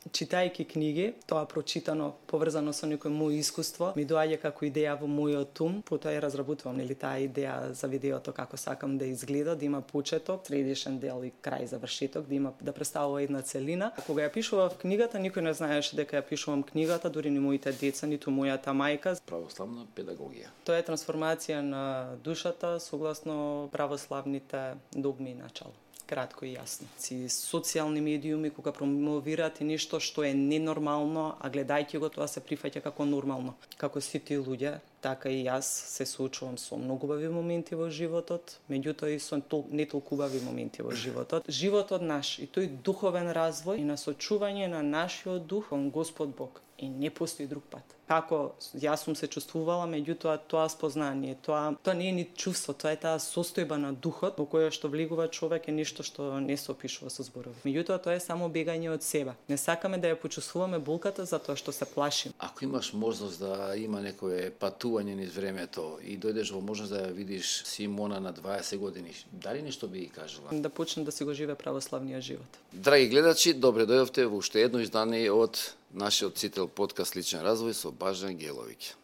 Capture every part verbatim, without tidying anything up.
читајќи книги, тоа прочитано, поврзано со некој мој искуство, ми доаѓа како идеја во мојот ум, потоа ја разработувам, нели, таа идеја за видеото како сакам да изгледа, да има почеток, средишен дел и крај завршеток, да има да представува една целина. Кога ја пишував книгата, никој не знаеше дека ја пишувам книгата, дури ни моите деца, ниту мојата мајка. Православна педагогија. Тоа е трансформација на душата согласно православните догми и начала. Кратко и јасно. Си социјални медиуми кога промовираат и нешто што е ненормално, а гледајќи го тоа се прифаќа како нормално. Како сите луѓе, така и јас се соочувам со многу убави моменти во животот, меѓутоа и со тол, не толку убави моменти во животот. Животот наш и тој духовен развој и насочување на нашиот дух кон Господ Бог. И не постои друг пат. Како јас сум се чувствувала, меѓутоа тоа спознание, тоа тоа не е ни чувство, тоа е таа состојба на духот во која што влегува човек е нешто што не се опишува со зборови. Меѓутоа тоа е само бегање од себе. Не сакаме да ја почувствуваме болката затоа што се плашим. Ако имаш можност да има некое патување низ времето и дојдеш во можност да ја видиш Симона на дваесет години, дали нешто би ги кажала? Да почне да си го живее православниот живот. Драги гледачи, добре дојдовте во уште едно издание од нашиот цител подкаст Личен развој со Бажан Геловиќ.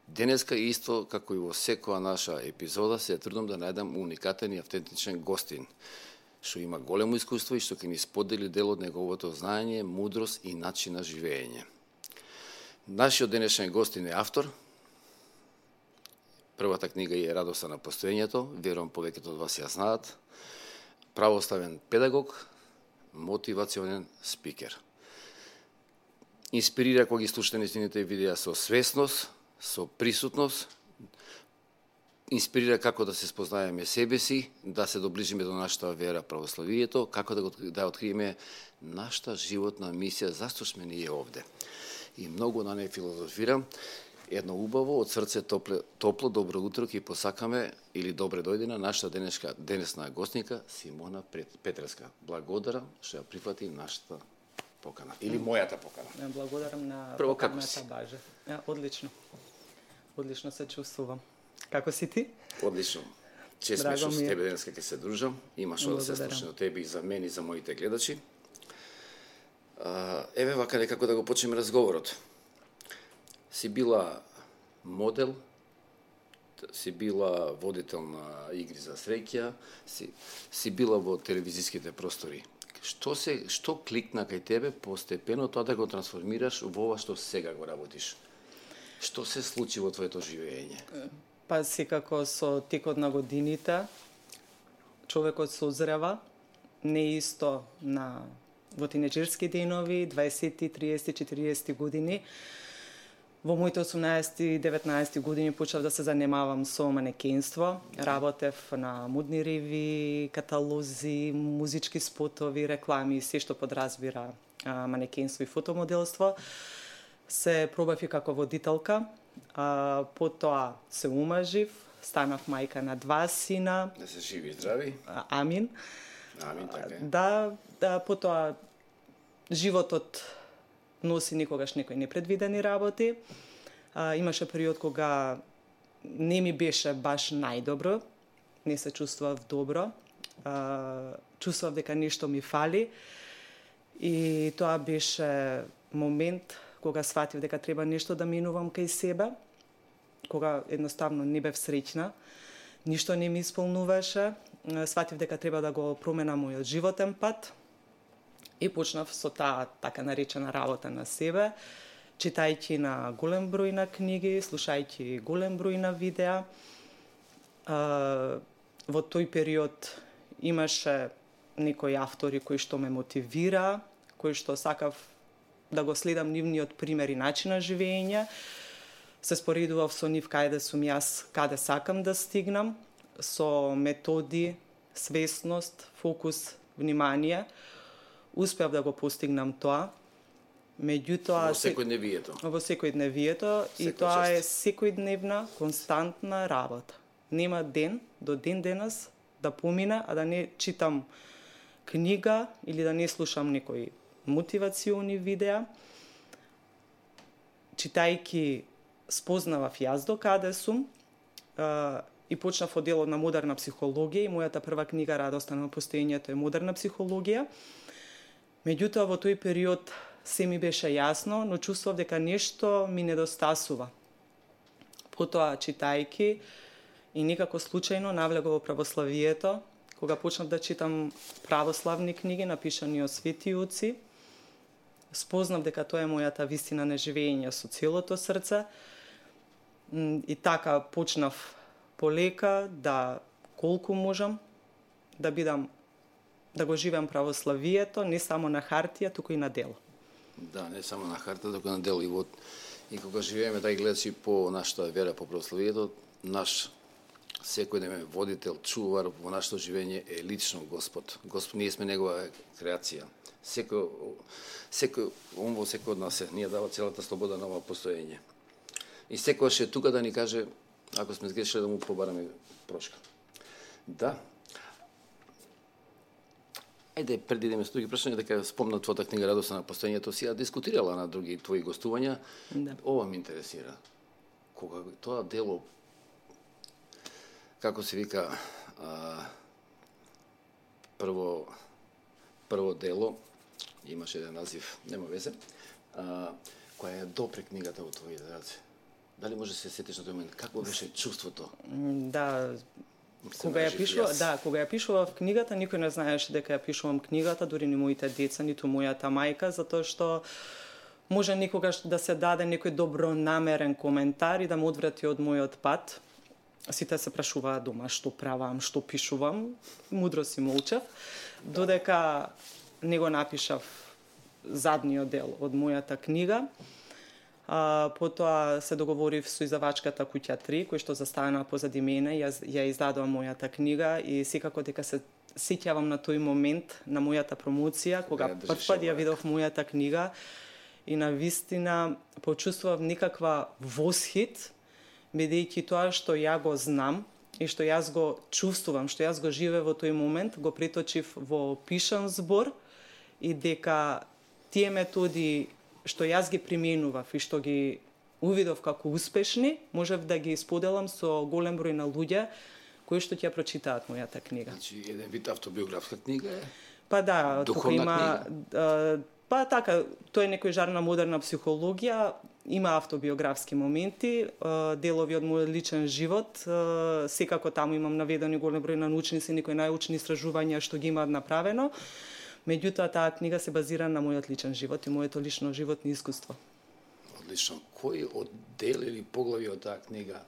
Денеска исто како и во секоја наша епизода се трудам да најдам уникатен и автентичен гостин, што има големо искуство и што ќе ни сподели дел од неговото знаење, мудрост и начин на живење. Нашиот денешен гостин е автор. Првата книга е Радоста на постоењето, верувам повеќето од вас ја знаат. Православен педагог, мотивационен спикер. Инспирира кога ги слушате нејзините видеа со свесност, со присутност, инспирира како да се спознаеме себе си, да се доближиме до нашата вера православието, како да, го, да откриеме нашата животна мисија, зашто сме ние овде. И многу на неј филозофирам, едно убаво, од срце топло, топло добро утро ќе посакаме или добре дојде на нашата денешка, денесна гостника Симона Петреска. Благодарам што ја прифати нашата покана. Или мојата покана. Благодарам на Прво, поканата, Баже. Одлично. Одлично се чувствувам. Како си ти? Одлично. Чест ме што со тебе денеска ќе се дружам. Има што да се слушне од тебе и за мене и за моите гледачи. Еве вака некако да го почнеме разговорот. Си била модел, си била водител на игри за среќа, си, си била во телевизиските простори. Што се што кликна кај тебе постепено тоа да го трансформираш во ова што сега го работиш? Што се случи во твоето живење? Па секако со текот на годините човекот созрева, не исто на во тинеџерски денови, дваесетти, триесетти, четириесетти години. Во моите осумнаесетти и деветнаесетти години почнав да се занимавам со манекенство. Работев на модни реви, каталози, музички спотови, реклами и се што подразбира а, манекенство и фотомоделство. Се пробав и како водителка, а, потоа се умажив, станав мајка на два сина. Да се живи и здрави. А, амин. Амин, така е. Да, да, потоа животот носи никогаш некои непредвидени работи. А, имаше период кога не ми беше баш најдобро, не се чувствував добро, а, чувствував дека нешто ми фали и тоа беше момент кога сватив дека треба нешто да минувам кај себе, кога едноставно не бев среќна, ништо не ми исполнуваше, сватив дека треба да го променам мојот животен пат, и почнав со таа така наречена работа на себе, читајќи на голем број на книги, слушајќи голем број на видеа. Во тој период имаше некои автори кои што ме мотивира, кои што сакав да го следам нивниот пример и начин на живење. Се споредував со нив каде сум јас, каде сакам да стигнам, со методи, свесност, фокус, внимание. Успеав да го постигнам тоа, меѓутоа... Во секојдневието. Во секојдневието, и тоа е секојдневна, константна работа. Нема ден, до ден денес, да помине, а да не читам книга или да не слушам некои мотивациони видеа. Читајќи, спознавав јас до каде сум, и почнав од делот на модерна психологија, и мојата прва книга Радоста на постоењето е модерна психологија. Меѓутоа, во тој период се ми беше јасно, но чувствував дека нешто ми недостасува. Потоа, читајки, и никако случајно навлегов во православието, кога почнав да читам православни книги, напишани од свети оци, спознав дека тоа е мојата вистина на живење со целото срце, и така почнав полека да, колку можам, да бидам, да го живеам православието, не само на хартија, туку и на дело. Да, не само на хартија, туку на дело. И, вот, и кога живееме, да гледачи по нашата вера, по православието, наш секој ден водител, чувар во нашето живење е лично Господ. Господ, ние сме негова креација. Секој, секој, он во секој од нас е, ние дава целата слобода на ова постоење. И секојаш е тука да ни каже, ако сме сгрешили, да му побараме прошка. Да. Ајде, преди да ме со други прашања, дека спомна твојата книга Радоста на постоењето, си ја дискутирала на други твои гостувања. Да. Ова ме интересира. Кога тоа дело, како се вика, а, прво, прво дело, имаше еден назив, нема везе, а, која е допре книгата во твоите раце. Дали може да се сетиш на тој момент? Какво беше чувството? Да, кога ја пишува, да, кога ја пишував книгата, никој не знаеше дека ја пишувам книгата, дури ни моите деца, ниту мојата мајка, затоа што може никогаш да се даде некој добронамерен коментар и да ме одврати од мојот пат. Сите се прашуваат дома што правам, што пишувам, мудро си молчав, додека не го напишав задниот дел од мојата книга. А, потоа се договорив со издавачката Куќа три, кој што застана позади мене, ја, ја издадува мојата книга и секако дека се сеќавам на тој момент, на мојата промоција, кога првпат ја видов мојата книга и на вистина почувствував некаква восхит, бидејќи тоа што ја го знам и што јас го чувствувам, што јас го живеев во тој момент, го преточив во пишан збор и дека тие методи што јас ги применував и што ги увидов како успешни, можев да ги споделам со голем број на луѓе кои што ќе прочитаат мојата книга. Значи, еден вид автобиографска книга е? Па да, тука има книга? Па така, тоа е некој жар на модерна психологија, има автобиографски моменти, делови од мојот личен живот, секако таму имам наведени голем број на научници, некои научни истражувања што ги имаат направено. Меѓутоа, таа книга се базира на мојот личен живот и моето лично животно искуство. Одлично. Кој од дел или поглави од таа книга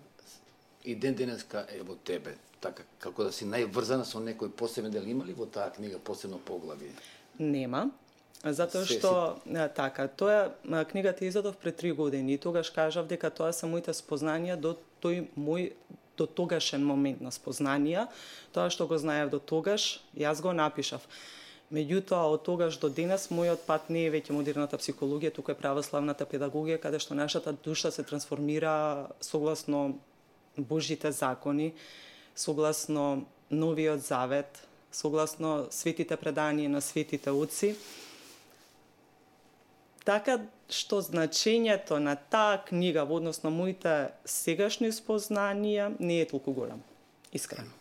и ден денеска е во тебе? Така, како да си најврзана со некој посебен дел, има ли во таа книга посебно поглави? Нема. Затоа што, си... така, тоа книгата изодов пред три години и тогаш кажав дека тоа се моите спознанија до тој мој до тогашен момент на спознанија, тоа што го знаев до тогаш, јас го напишав. Меѓутоа, од тогаш до денес, мојот пат не е веќе модерната психологија, туку е православната педагогија, каде што нашата душа се трансформира согласно Божите закони, согласно Новиот Завет, согласно светите преданија на светите оци. Така што значењето на таа книга во однос на моите сегашни спознанија не е толку голем, искрено.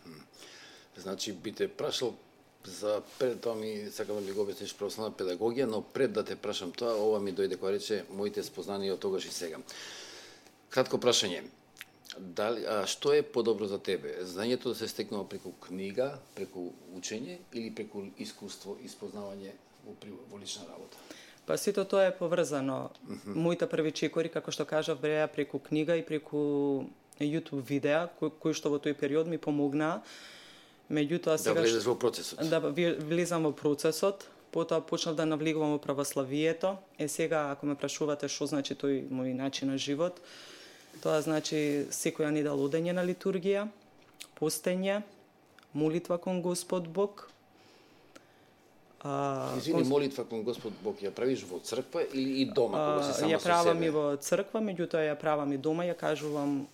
Значи, би те прашал за пред тоа ми сакам да ми го обясниш православна педагогија, но пред да те прашам тоа, ова ми дојде кога рече моите спознанија од тогаш и сега. Кратко прашање. Дали, а што е подобро за тебе? Знањето да се стекнува преку книга, преку учење или преку искуство и спознавање во, во лична работа? Па сето тоа е поврзано. Mm -hmm. Моите први чекори, како што кажав, бреа преку книга и преку YouTube видеа, кои, кои што во тој период ми помогнаа. Меѓутоа сега да влезеш во процесот. Да влезам во процесот, потоа почнав да навлегувам во православието. Е сега ако ме прашувате што значи тој мој начин на живот, тоа значи секоја недела одење на литургија, постење, молитва кон Господ Бог. А, Извини, кон... молитва кон Господ Бог ја правиш во црква или и дома кога се сама ја со правам себе? и во црква, меѓутоа ја правам и дома, ја кажувам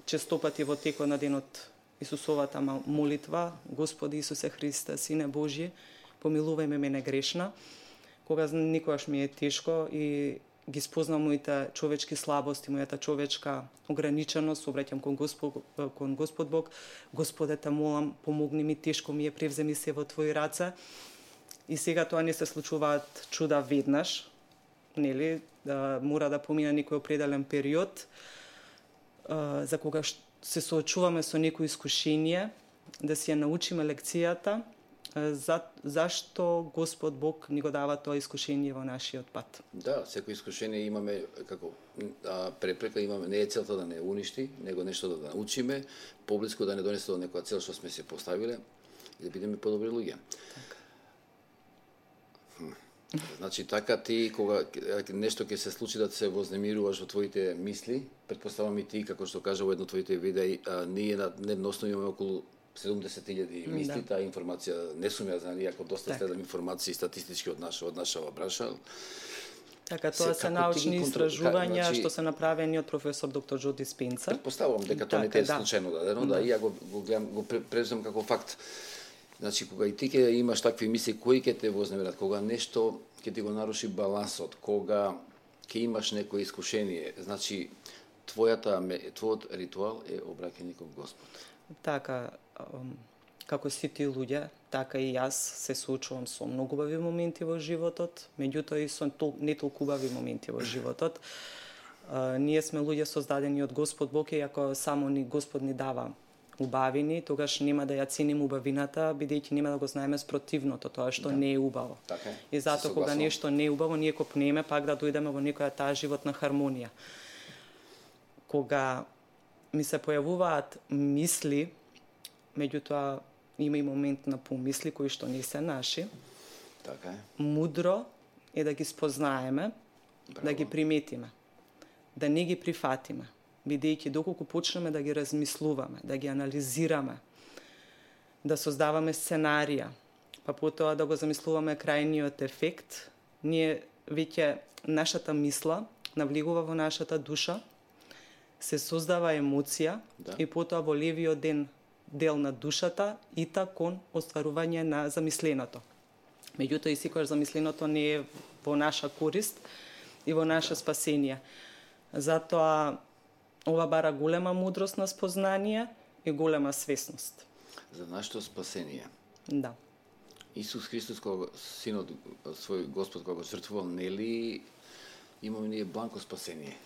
честопати во текот на денот Исусовата молитва: Господи Исусе Христе, Сине Божји, помилувај ме мене грешна. Кога никогаш ми е тешко и ги спознам моите човечки слабости, мојата човечка ограниченост, обраќам кон Господ, кон Господ Бог: Господе, те молам, помогни ми, тешко ми е, превземи се во Твои раце. И сега тоа не се случуваат чуда веднаш, нели, да мора да помине некој определен период, а, за кога се соочуваме со некои искушение, да си ја научиме лекцијата, за, зашто Господ Бог ни го дава тоа искушение во нашиот пат. Да, секој искушение имаме како а, препрека, имаме, не е целта да не уништи, него нешто да научиме, поблиску да не донесе до некоја цел што сме се поставиле и да бидеме подобри луѓе. Така. Значи така ти кога нешто ќе се случи да се вознемируваш во твоите мисли, претпоставам и ти како што кажа во едно твоите видеи, а, ние на дневно основа имаме околу седумдесет илјади мисли, да. Таа информација не сум ја знали, иако доста так. Следам информации статистички од наша од нашава бранша. Така, тоа се, се научни истражувања значи, што се направени од професор доктор Джо Диспенса. Предпоставувам дека тоа не те е да. Случајно дадено, да, да и ја го, го гледам, го преземам како факт. Значи, кога и ти ќе имаш такви мисли, кои ќе те вознемират, кога нешто ќе ти го наруши балансот, кога ќе имаш некое искушение, значи, твојата, твојот ритуал е обраќање кон Господ. Така, како сите луѓе, така и јас се соочувам со многу убави моменти во животот, меѓутоа и со не толку убави моменти во животот. А, ние сме луѓе создадени од Господ Бог и ако само ни Господ ни дава убавини, тогаш нема да ја ценим убавината, бидејќи нема да го знаеме спротивното, тоа што да. Не е убаво. Така е. И затоа кога нешто не е убаво, ние копнеме пак да дојдеме во некоја таа животна хармонија. Кога ми се појавуваат мисли, меѓутоа има и момент на помисли кои што не се наши. Така е. Мудро е да ги спознаеме, Браво. Да ги приметиме, да не ги прифатиме, бидејќи доколку почнеме да ги размислуваме, да ги анализираме, да создаваме сценарија, па потоа да го замислуваме крајниот ефект, ние веќе нашата мисла навлегува во нашата душа, се создава емоција да. И потоа во левиот ден дел на душата ита кон остварување на замисленото. Меѓутоа и секогаш замисленото не е во наша корист и во наше спасение. Затоа ова бара голема мудрост на спознание и голема свесност. За нашето спасение. Да. Исус Христос, кога синот свој Господ кога го жртвувал, нели имаме ние бланко спасение?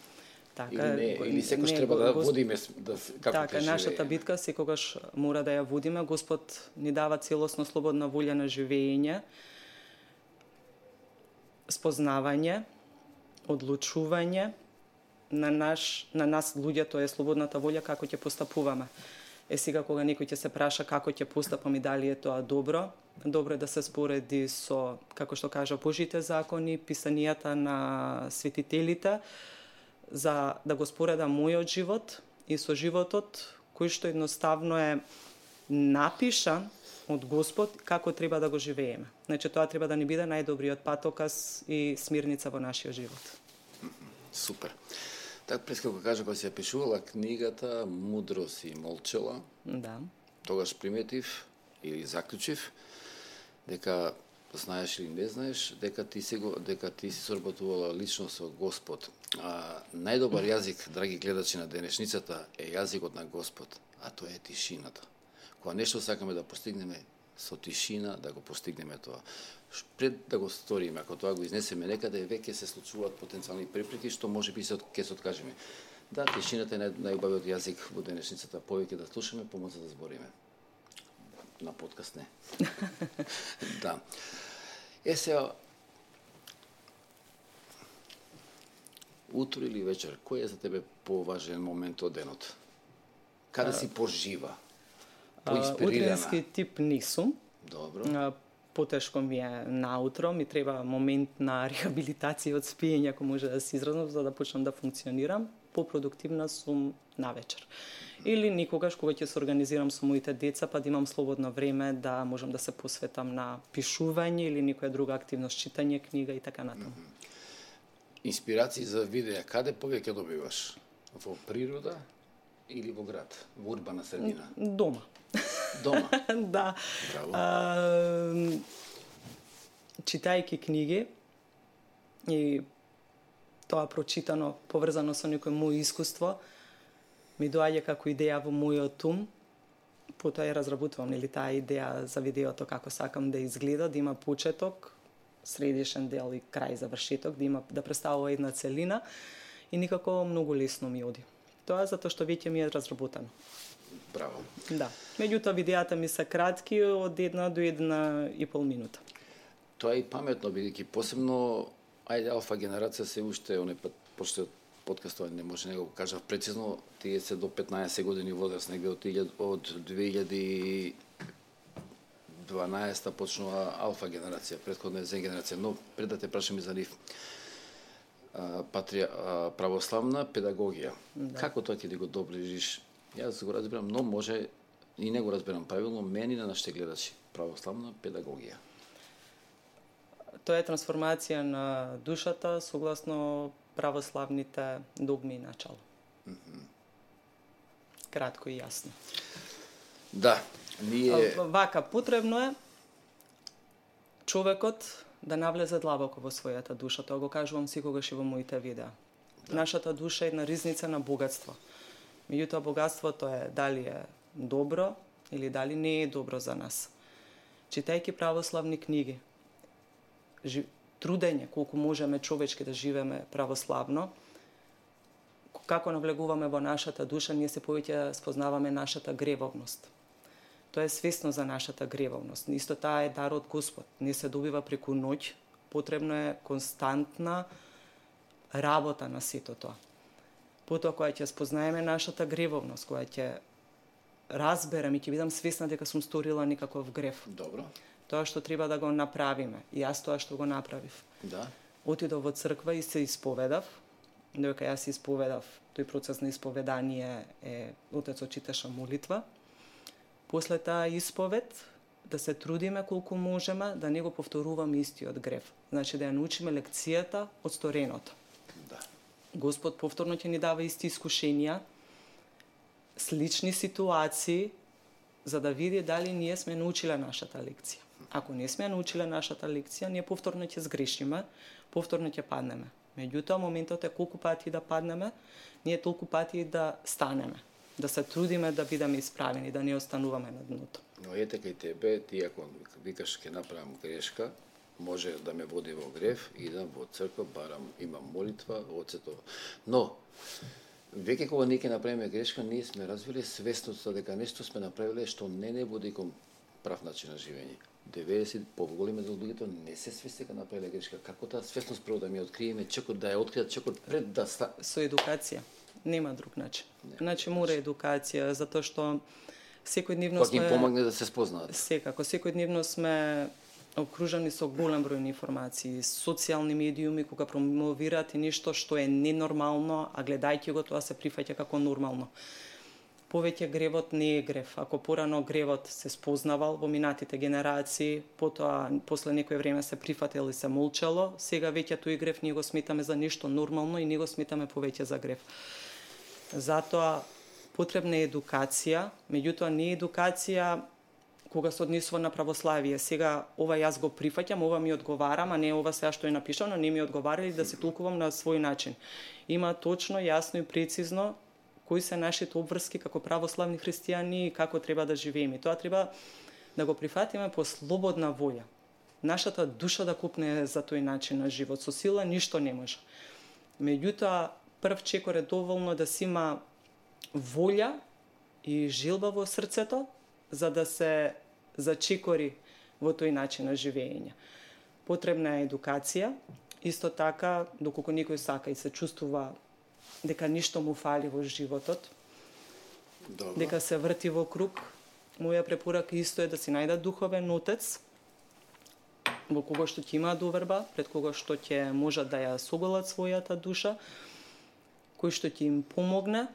Така, или не, или секогаш треба да го водиме да како така, нашата битка секогаш мора да ја водиме. Господ ни дава целосно слободна волја на живење, спознавање, одлучување на наш на нас луѓето е слободната волја како ќе постапуваме. Е сега кога некој ќе се праша како ќе постапам и дали е тоа добро, добро е да се спореди со, како што кажа, Божите закони, писанијата на светителите, за да го споредам мојот живот и со животот кој што едноставно е напишан од Господ како треба да го живееме. Значи тоа треба да ни биде најдобриот патоказ и смирница во нашиот живот. Супер. Така пред како кажа кога се пишувала книгата Мудро си молчела. Да. Тогаш приметив или заклучив дека знаеш или не знаеш, дека ти се го, дека ти си соработувала лично со Господ. А, најдобар јазик, драги гледачи на денешницата, е јазикот на Господ, а тоа е тишината. Кога нешто сакаме да постигнеме со тишина, да го постигнеме тоа. Пред да го сториме, ако тоа го изнесеме некаде, веќе се случуваат потенцијални препреки, што може би се ќе се откажеме. Да, тишината е најубавиот јазик во денешницата, повеќе да слушаме, помоци да збориме. На подкаст не. Да. Е сега, утро или вечер, кој е за тебе поважен момент од денот? Каде си пожива? Поинспирирана? Утренски тип не сум. Добро. Потешко ми е наутро, ми треба момент на рехабилитација од спиење, ако може да се изразнам, за да почнам да функционирам. Попродуктивна сум навечер. Или никогаш кога ќе се организирам со моите деца, па да имам слободно време да можам да се посветам на пишување или некоја друга активност, читање книга и така натаму. Инспирации за видеа, каде повеќе добиваш? Во природа или во град, во урбана средина? Дома. Дома? Да. Браво. А, читајќи книги и тоа прочитано, поврзано со некој мој искуство, ми доаѓа како идеја во мојот ум, Потоа ја разработувам или таа идеја за видеото како сакам да изгледа, да има почеток, средишен дел и крај завршеток, да има да представува една целина и никако многу лесно ми оди. Тоа затоа што веќе ми е разработено. Браво. Да. Меѓутоа видеата ми се кратки од една до една и пол минута. Тоа е и паметно, бидејќи посебно, ајде, алфа генерација се уште, оне пат, почте подкастот не може него го кажав прецизно, тие се до петнаесет години возраст, негде од, од две илјади и дванаесета почнува алфа генерација, претходна е зен генерација, но пред да те прашам и за нив, патрија, православна педагогија. Да. Како тоа ќе да го доближиш? Јас го разбирам, но може и не го разбирам правилно, мени на нашите гледачи. Православна педагогија. Тоа е трансформација на душата согласно православните догми и начала. Mm-hmm. Кратко и јасно. Да, ние... Вака, потребно е човекот да навлезе длабоко во својата душа. Тоа го кажувам секогаш и во моите видеа. Да. Нашата душа е една ризница на богатство. Меѓутоа, богатството е дали е добро или дали не е добро за нас. Читајќи православни книги, трудење колку можеме човечки да живееме православно, како навлегуваме во нашата душа, ние се повеќе спознаваме нашата гревовност. Тоа е свесно за нашата гревовност. Исто таа е дар од Господ. Не се добива преку ноќ, потребно е константна работа на сето тоа. Потоа кога ќе спознаеме нашата гревовност, кога ќе разберам и ќе бидам свесна дека сум сторила некаков грев. Добро. Тоа што треба да го направиме. И јас тоа што го направив. Да. Отидов во црква и се исповедав. Додека јас исповедав, тој процес на исповедание е отецот читаше молитва. После таа исповед да се трудиме колку можеме да не го повторуваме истиот грев. Значи да ја научиме лекцијата од стореното. Да. Господ повторно ќе ни дава исти искушенија, слични ситуации, за да види дали ние сме научиле нашата лекција. Ако не сме научиле нашата лекција, ние повторно ќе сгрешиме, повторно ќе паднеме. Меѓутоа, моментот е колку пати да паднеме, ние толку пати да станеме, да се трудиме да бидеме исправени, да не остануваме на дното. Но ете кај тебе, ти ако викаш ќе направам грешка, може да ме води во грев, идам во црква, барам, имам молитва, оцето. Но, веќе кога ние ќе направиме грешка, ние сме развили свесноста дека нешто сме направиле што не не води кон прав начин на живење. деветдесет поголеми дел луѓето не се свесни дека направиле грешка. Како таа свесност прво да ми откриеме, чекор да ја откријат, чекор пред да ста... Со едукација. Нема друг начин. Не, значи мора едукација, затоа што секојдневно сме... Кога им помогне да се спознаат. Секако, секојдневно сме окружени со голем број информации, социјални медиуми кога промовираат и нешто што е ненормално, а гледајќи го тоа се прифаќа како нормално. Повеќе гревот не е грев. Ако порано гревот се спознавал во минатите генерации, потоа после некој време се прифател и се молчало, сега веќе тој грев ние го сметаме за нешто нормално и не го сметаме повеќе за грев. Затоа потребна е едукација, меѓутоа не е едукација кога се однесува на православие. Сега ова јас го прифаќам, ова ми одговарам, а не ова сега што е напишано, не ми одговара и да се толкувам на свој начин. Има точно, јасно и прецизно кои се нашите обврски како православни христијани и како треба да живееме. Тоа треба да го прифатиме по слободна волја. Нашата душа да купне за тој начин на живот. Со сила ништо не може. Меѓутоа, прв чекор е доволно да си има волја и жилба во срцето, за да се зачекори во тој начин на живење. Потребна е едукација, исто така, доколку некој сака и се чувствува дека ништо му фали во животот, Добро. Дека се врти во круг, моја препорака исто е да си најде духовен отец, во кого што ќе има доверба, пред кого што ќе можат да ја соголат својата душа, кој што ќе им помогне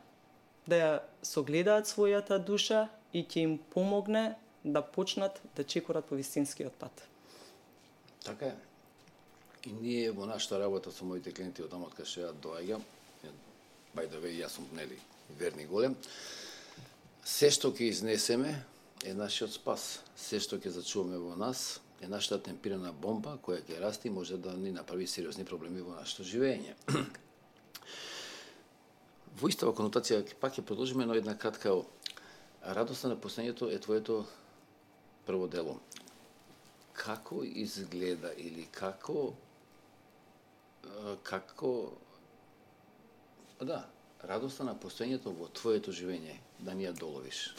да ја согледаат својата душа и ќе им помогне да почнат да чекорат по вистинскиот пат. Така е. И ние во нашата работа со моите клиенти од таму од кај што ја доаѓам, by the way, јас сум нели верни голем, се што ќе изнесеме е нашиот спас. Се што ќе зачуваме во нас е нашата темпирана бомба која ќе расти и може да ни направи сериозни проблеми во нашето живење. Во истава конотација пак ќе продолжиме на една кратка Радоста на постоењето е твоето прво дело. Како изгледа или како како да, радоста на постоењето во твоето живење, да ни ја доловиш.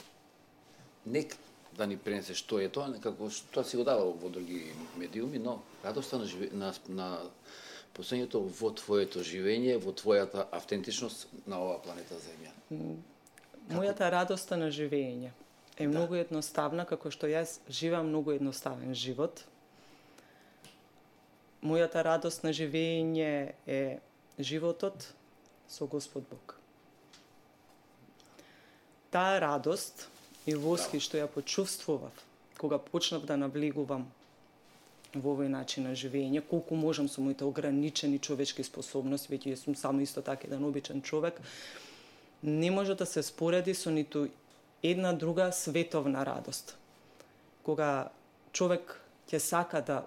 Нек да ни пренесеш што е тоа, некако тоа си го дава во други медиуми, но радоста на, живе, на, на постоењето во твоето живење, во твојата автентичност на оваа планета Земја. Мојата радоста на живење е многу да. едноставна, како што јас живеам многу едноставен живот. Мојата радост на живење е животот со Господ Бог. Таа радост и воски што ја почувствував кога почнав да навлегувам во овој начин на живење, колку можам со моите ограничени човечки способности, веќе јас сум само исто така еден обичен човек, не може да се спореди со ниту една друга световна радост. Кога човек ќе сака да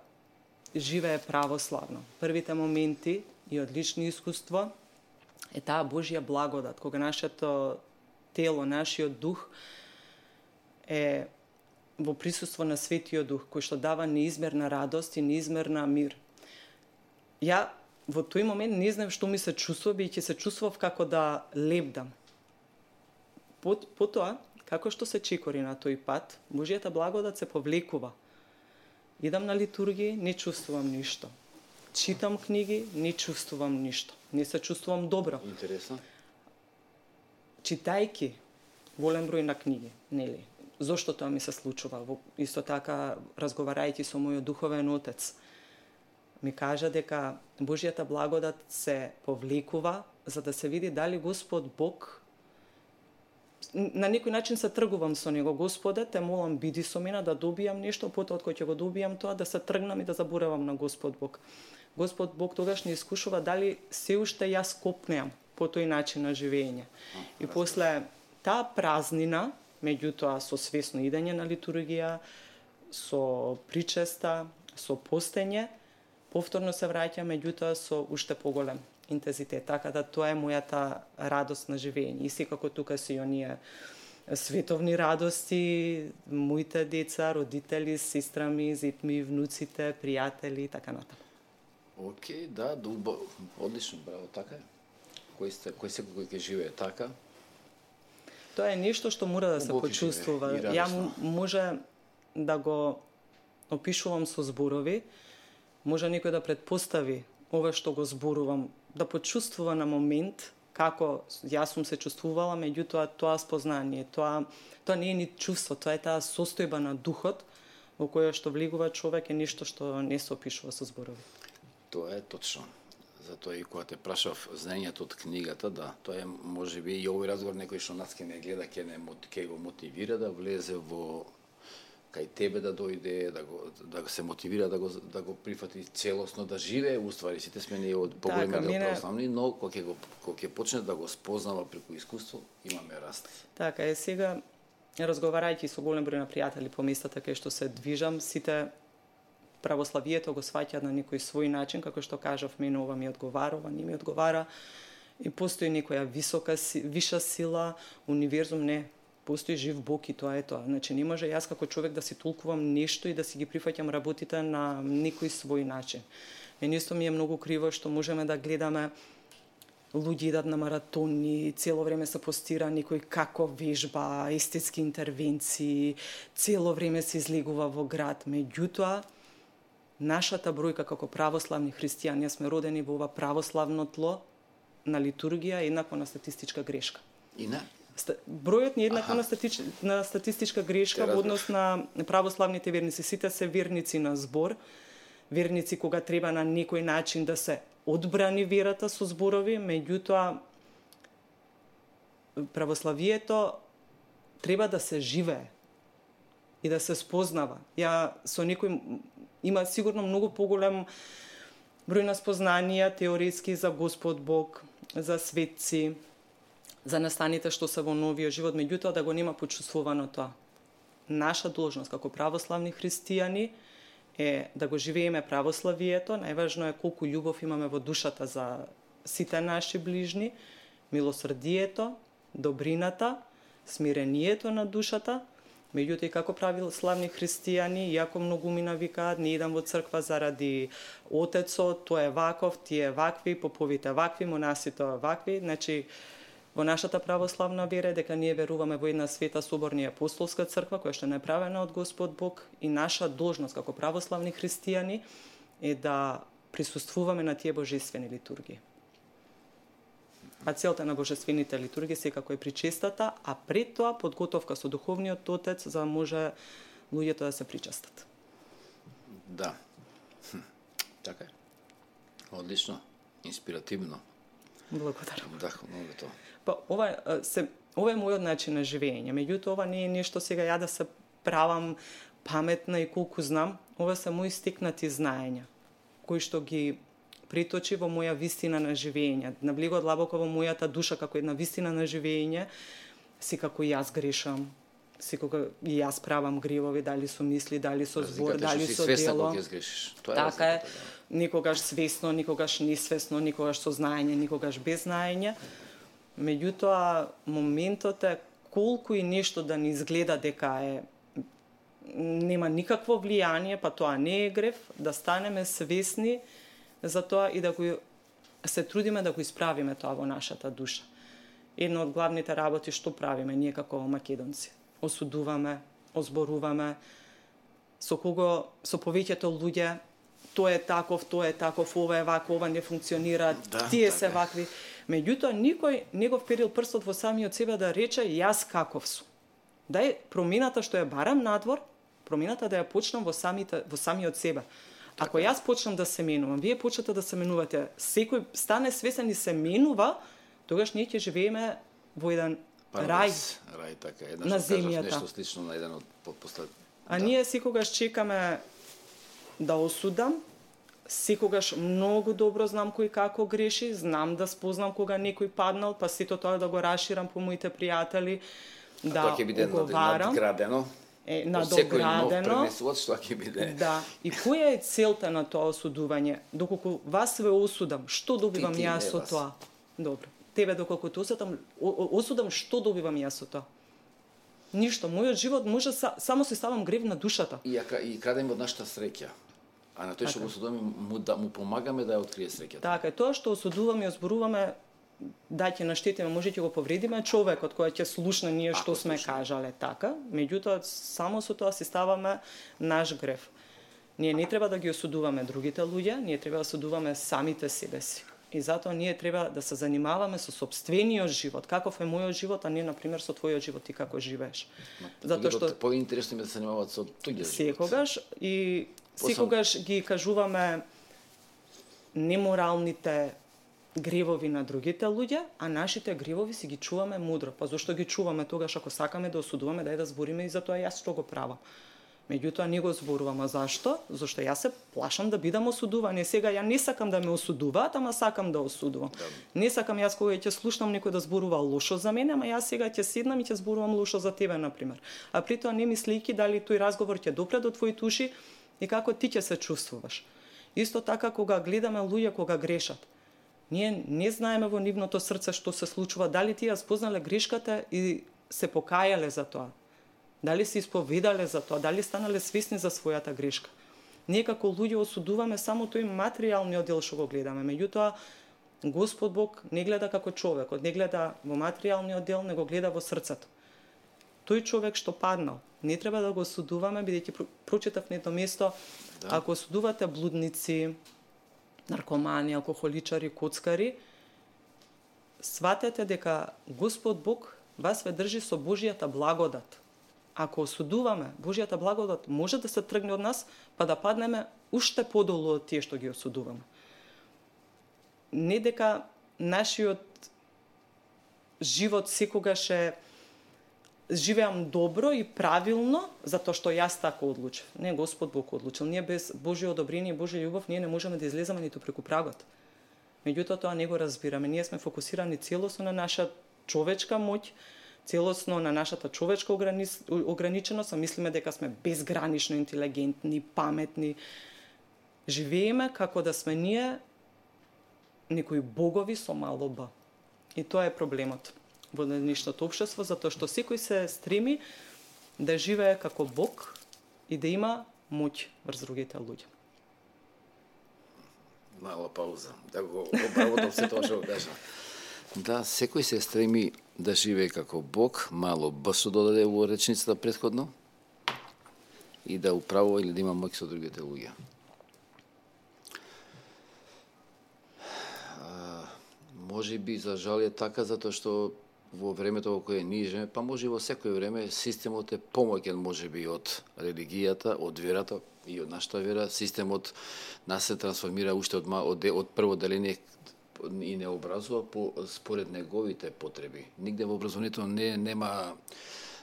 живее православно, првите моменти и од лично искуство е таа Божја благодат, кога нашето тело, нашиот дух е во присуство на Светиот Дух, кој што дава неизмерна радост и неизмерна мир. Ја во тој момент не знам што ми се чувствува, бидејќи се чувствував како да лебдам. Потоа, како што се чекори на тој пат, Божјата благодат се повлекува. Идам на литургија, не чувствувам ништо. Читам книги, не чувствувам ништо. Не се чувствувам добро. Интересно. Читајки голем број на книги, нели? Зошто тоа ми се случува? Исто така, разговарајќи со мојот духовен отец, ми кажа дека Божјата благодат се повлекува за да се види дали Господ Бог, на некој начин се тргувам со него. Господе, те молам, биди со мене да добијам нешто, потоа кога ќе го добијам тоа, да се тргнам и да заборавам на Господ Бог. Господ Бог тогаш не искушува дали се уште јас копнеам по тој начин на живење. И после таа празнина, меѓутоа со свесно идење на литургија, со причеста, со постење, повторно се враќа, меѓутоа со уште поголем интензитет. Така да тоа е мојата радост на живење. И секако тука се и оние световни радости, моите деца, родители, сестра ми, зет ми, внуците, пријатели и така натаму. Океј, да, дубо, одлично, браво, така е. Кој сте, кој секој кој ќе живее така? Тоа е нешто што мора да се почувствува. Ја може да го опишувам со зборови, може некој да предпостави ова што го зборувам, да почувствува на момент како јас сум се чувствувала, меѓутоа тоа спознание, тоа тоа не е ни чувство, тоа е таа состојба на духот во која што влегува човек, е нешто што не се опишува со зборови. Тоа е точно. Затоа и кога те прашав знаењето од книгата, да, тоа е можеби и овој разговор некој што нас ке не гледа, ке не ке го мотивира да влезе во кај тебе, да дојде, да го да се мотивира да го да го прифати целосно, да живее, уствари сите сме ние од поголемиот дел православни, но кога ќе го кога ќе почне да го спознава преку искуство, имаме раст. Така е, сега разговарајќи со голем број на пријатели по местата кај што се движам, сите православието го сваќаат на некој свој начин, како што кажав, мене ова ми одговара, ова не ми одговара. И постои некоја висока, виша сила, универзум, не. Постои жив Бог и тоа е тоа. Значи, не може јас како човек да си толкувам нешто и да си ги прифаќам работите на некој свој начин. Мене исто ми е многу криво што можеме да гледаме луѓе идат на маратони, цело време се постира некој како вежба, естетски интервенции, цело време се излегува во град. Меѓутоа, нашата бројка како православни христијани, сме родени во ова православно тло на литургија е еднакво на статистичка грешка. И на? Бројот не е еднакво на, статич... на статистичка грешка во однос на православните верници. Сите се верници на збор, верници кога треба на некој начин да се одбрани верата со зборови, меѓутоа православието треба да се живее и да се спознава. Ја со некој има сигурно многу поголем број на спознанија теоретски за Господ Бог, за светци, за настаните што се во новиот живот, меѓутоа да го нема почувствувано тоа. Наша должност како православни христијани е да го живееме православието, најважно е колку љубов имаме во душата за сите наши ближни, милосрдието, добрината, смирението на душата. Меѓутоа, и како православни христијани, иако многумина викаат, не идам во црква заради отецот, тој е ваков, тие вакви, поповите вакви, монасите вакви. Значи, во нашата православна вера дека ние веруваме во една света соборна и апостолска црква, која што е направена од Господ Бог, и наша должност како православни христијани е да присуствуваме на тие божествени литургии. А целта на божествените литургии секако е причестата, а пред тоа подготовка со духовниот отец за да може луѓето да се причестат. Да. Хм. Така е. Одлично, инспиративно. Благодарам. Вдахновено тоа. Па ова се ова е мојот начин на живење. Меѓутоа ова не е нешто сега ја да се правам паметна и колку знам. Ова се мои стекнати знаења кои што ги приточи во моја вистина на живење. Навлегува длабоко во мојата душа како една вистина на живење. Секако и јас грешам. Секога и јас правам гревови, дали со мисли, дали со збор, дали со дело. Така е. Никогаш свесно, никогаш несвесно, никогаш со знаење, никогаш без знаење. Меѓутоа, моментот е колку и нешто да ни изгледа дека е нема никакво влијание, па тоа не е грев, да станеме свесни за тоа и да го се трудиме да го исправиме тоа во нашата душа. Една од главните работи што правиме ние како македонци. Осудуваме, озборуваме, со кого, со повеќето луѓе, тоа е таков, тоа е таков, ова е вако, ова не функционира, да, тие така се вакви. Меѓутоа, никој не го вперил прстот во самиот себе да рече јас каков сум. Дај промената што ја барам надвор, промената да ја почнам во, самите, во самиот себе. Ако јас почнам да се менувам, вие почнете да се менувате, секој стане свесен и се менува, тогаш ние ќе живееме во еден рај, рај така, една на земјата. Нешто слично на еден од послед. А да. Ние секогаш чекаме да осудам, секогаш многу добро знам кој како греши, знам да спознам кога некој паднал, па сето тоа да го расширам по моите пријатели, да уговарам. Надградено. Е, надоградено. Што ќе биде. Да. И која е целта на тоа осудување? Доколку вас ве осудам, што добивам ти, ти, јас со тоа? Добро. Тебе доколку те осудам, осудам, што добивам јас со тоа? Ништо. Мојот живот може са, само се ставам грев на душата. И, и крадеме од нашата среќа. А на тој што го осудуваме, му, да, му помагаме да ја открие среќата. Така, тоа што осудуваме и озборуваме, да ќе наштетиме, може ќе го повредиме човекот кој ќе слушне ние што Ако сме слушне. кажале, така. Меѓутоа, само со тоа си ставаме наш грев. Ние не треба да ги осудуваме другите луѓе, ние треба да осудуваме самите себе си. И затоа ние треба да се занимаваме со сопствениот живот, каков е мојот живот, а не на пример со твојот живот ти како живееш. Затоа што поинтересно е да се занимаваат со туѓиот живот. Секогаш и секогаш ги кажуваме неморалните гревови на другите луѓе, а нашите гревови си ги чуваме мудро. Па зошто ги чуваме тогаш ако сакаме да осудуваме, дај да збориме и за тоа јас што го правам. Меѓутоа не го зборувам. А зашто? Зашто јас се плашам да бидам осудуван. И сега ја не сакам да ме осудуваат, ама сакам да осудувам. Да. Не сакам јас кога ќе слушнам некој да зборува лошо за мене, ама јас сега ќе седнам и ќе зборувам лошо за тебе на пример. А при тоа не мислејќи дали тој разговор ќе допре до твоите уши и како ти ќе се чувствуваш. Исто така кога гледаме луѓе кога грешат. Ние не знаеме во нивното срце што се случува, дали тие спознале грешката и се покајале за тоа. Дали се исповедале за тоа, дали станале свесни за својата грешка. Ние како луѓе осудуваме само тој материјалниот дел што го гледаме, меѓутоа Господ Бог не гледа како човекот, не гледа во материјалниот дел, не го гледа во срцето. Тој човек што паднал, не треба да го осудуваме, бидејќи прочитав на едно место, да. Ако осудувате блудници, наркомани, алкохоличари, коцкари, сватете дека Господ Бог вас ве држи со Божјата благодат. Ако осудуваме, Божјата благодат може да се тргне од нас, па да паднеме уште подолу од тие што ги осудуваме. Не дека нашиот живот секогаш е живеам добро и правилно, затоа што јас така одлучив. Не, Господ Бог одлучил. Ние без Божјо одобрение и Божја љубов ние не можеме да излеземе ниту преку прагот. Меѓутоа тоа не го разбираме. Ние сме фокусирани целосно на наша човечка моќ, целосно на нашата човечка ограниченост, а мислиме дека сме безгранично интелигентни, паметни. Живееме како да сме ние некои богови со мало б. И тоа е проблемот. во денешното општество, затоа што секој се стреми да живее како Бог и да има моќ врз другите луѓе. Мала пауза, да го обработам се тоа што го кажа. Да, секој се стреми да живее како Бог, мало Б што додаде во речницата претходно, и да управува или да има моќ со другите луѓе. А, може би за жал е така, затоа што во времето во кое ние живееме, па може и во секој време, системот е помоќен може би од религијата, од верата и од нашата вера. Системот нас се трансформира уште од, од, од прво деление и не образува по според неговите потреби. Нигде во образованието не нема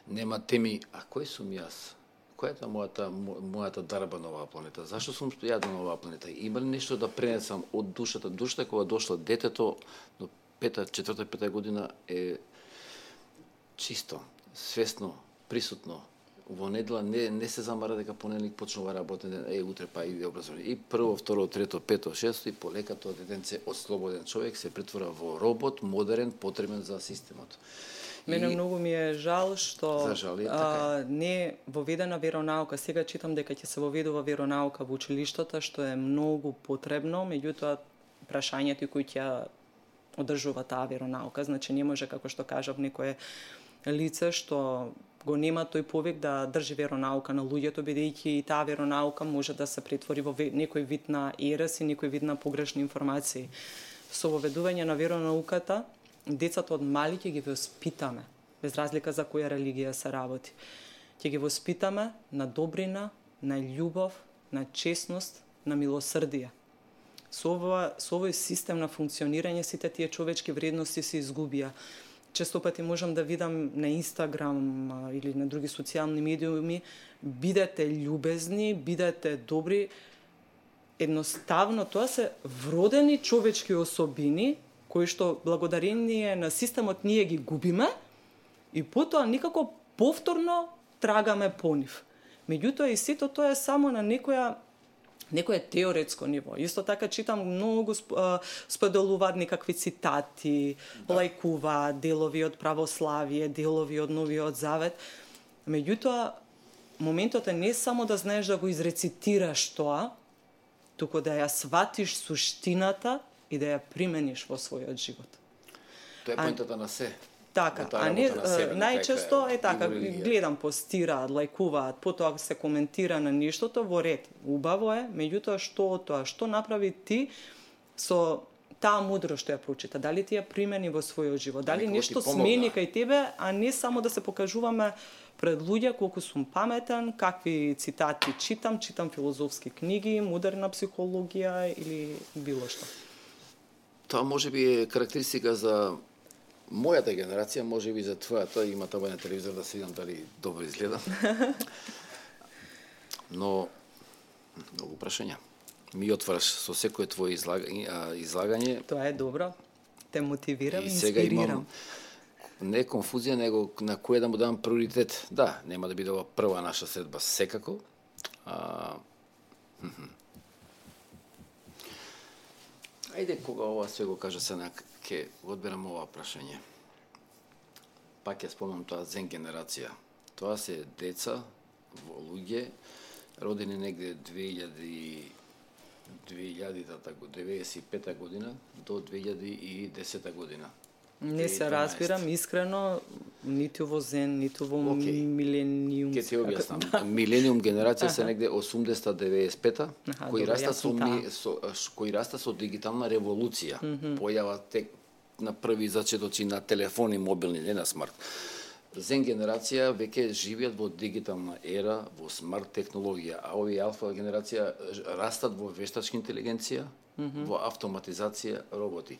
нема теми, а кој сум јас? Која е мојата мојата дарба на оваа планета? Зашто сум јаден на оваа планета? Има ли нешто да пренесам од душата? Душата кога дошло детето до пета, четврта, пета година е чисто, свесно, присутно. Во недела не, не се замара дека понеделник почнува работен ден, е, утре па иде образование. И прво, второ, трето, пето, шесто и полека тоа детенце од слободен човек се претвора во робот, модерен, потребен за системот. Мене и... многу ми е жал што жал е, така а, не е воведена веронаука. Сега читам дека ќе се воведува веронаука во училиштата, што е многу потребно, меѓутоа прашањето кои ќе одржува таа веронаука, значи не може, како што кажав, некое лице што го нема тој повик да држи веронаука на луѓето, бидејќи и таа веронаука може да се претвори во некој вид на ерес и некој вид на погрешни информации. Со воведување на веронауката, децата од мали ќе ги воспитаме, без разлика за која религија се работи. Ќе ги воспитаме на добрина, на љубов, на честност, на милосрдие. Со, ова, со овој систем на функционирање сите тие човечки вредности се изгубија. Често пати можам да видам на Инстаграм или на други социјални медиуми, бидете љубезни, бидете добри. Едноставно тоа се вродени човечки особини кои што благодарение на системот ние ги губиме и потоа никако повторно трагаме по нив. Меѓутоа и сето тоа е само на некоја некое теоретско ниво. Исто така читам многу споделуваат некакви цитати, да. Лајкуваат делови од православие, делови од Новиот Завет. Меѓутоа, моментот е не само да знаеш да го изрецитираш тоа, туку да ја сватиш суштината и да ја примениш во својот живот. Тоа е поентата на се. Така, а не најчесто е така, гледам, постираат, лајкуваат, потоа се коментира на нештото во ред. Убаво е, меѓутоа што од тоа, што направи ти со таа мудрост што ја прочита, дали ти ја примени во својот живот, дали нешто смени кај тебе, а не само да се покажуваме пред луѓе колку сум паметен, какви цитати читам, читам филозофски книги, модерна психологија или било што. Тоа можеби е карактеристика за мојата генерација, може би за твојата, има тоа на телевизор да се видам дали добро изгледам. Но многу прашања. Ми отвараш со секое твое излагање, излагање. Тоа е добро. Те мотивирам и сега инспирирам. Имам не конфузија, него на кој да му дам приоритет. Да, нема да биде ова прва наша средба секако. А... Ајде, кога ова све го кажа се на ке одберам ова прашање. Пак ја спомнам тоа зен генерација. Тоа се деца, во луѓе, родени негде две илјади деветдесет и пета година до две илјади и десета година. Не се разбирам искрено ниту во зен, ниту во okay. милениум. Ке ти објаснам. Милениум генерација се негде осумдесета деветдесет и пета, кои раста со, ми, со кои раста со дигитална револуција. Mm -hmm. Појава тек на први зачетоци на телефони мобилни, не на смарт. Зен генерација веќе живеат во дигитална ера, во смарт технологија, а овие алфа генерација растат во вештачка интелигенција, mm -hmm. во автоматизација, роботи.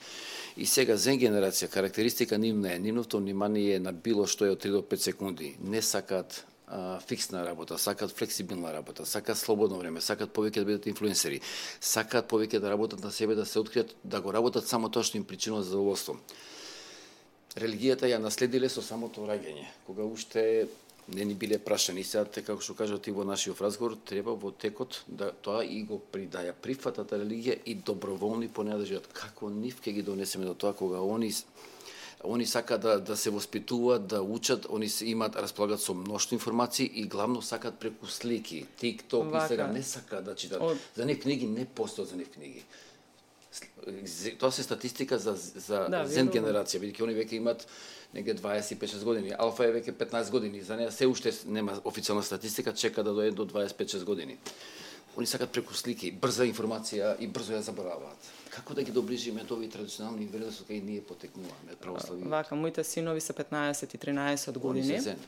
И сега зен генерација, карактеристика нивна е, нивното внимание на било што е од три до пет секунди. Не сакаат а, фиксна работа, сакаат флексибилна работа, сакаат слободно време, сакаат повеќе да бидат инфлуенсери, сакаат повеќе да работат на себе, да се откријат, да го работат само тоа што им причинува задоволство. Религијата ја наследиле со самото раѓање, кога уште не ни биле прашани. Сега, како што кажа ти во нашиот разговор, треба во текот да тоа и го придаја прифатата религија и доброволни по неја да живеат. Како нив ќе ги донесеме до тоа кога они Они сакаат да, да се воспитуваат, да учат, они се имаат, располагаат со мношто информации и главно сакаат преку слики, TikTok и сега не сакаат да читат. Од... За нив книги не постојат за нив книги. Тоа се статистика за, за да, зен генерација, бидејќи они веќе имаат негде дваесет и пет шест години. Алфа е веќе петнаесет години, за неа се уште нема официјална статистика, чека да дојде до дваесет и пет шест години. Они сакаат преку слики, брза информација и брзо ја забораваат. Како да ги доближиме до овие традиционални вредности кај ние потекнуваме православието? Вака, моите синови се петнаесет и тринаесет години. Они се зен.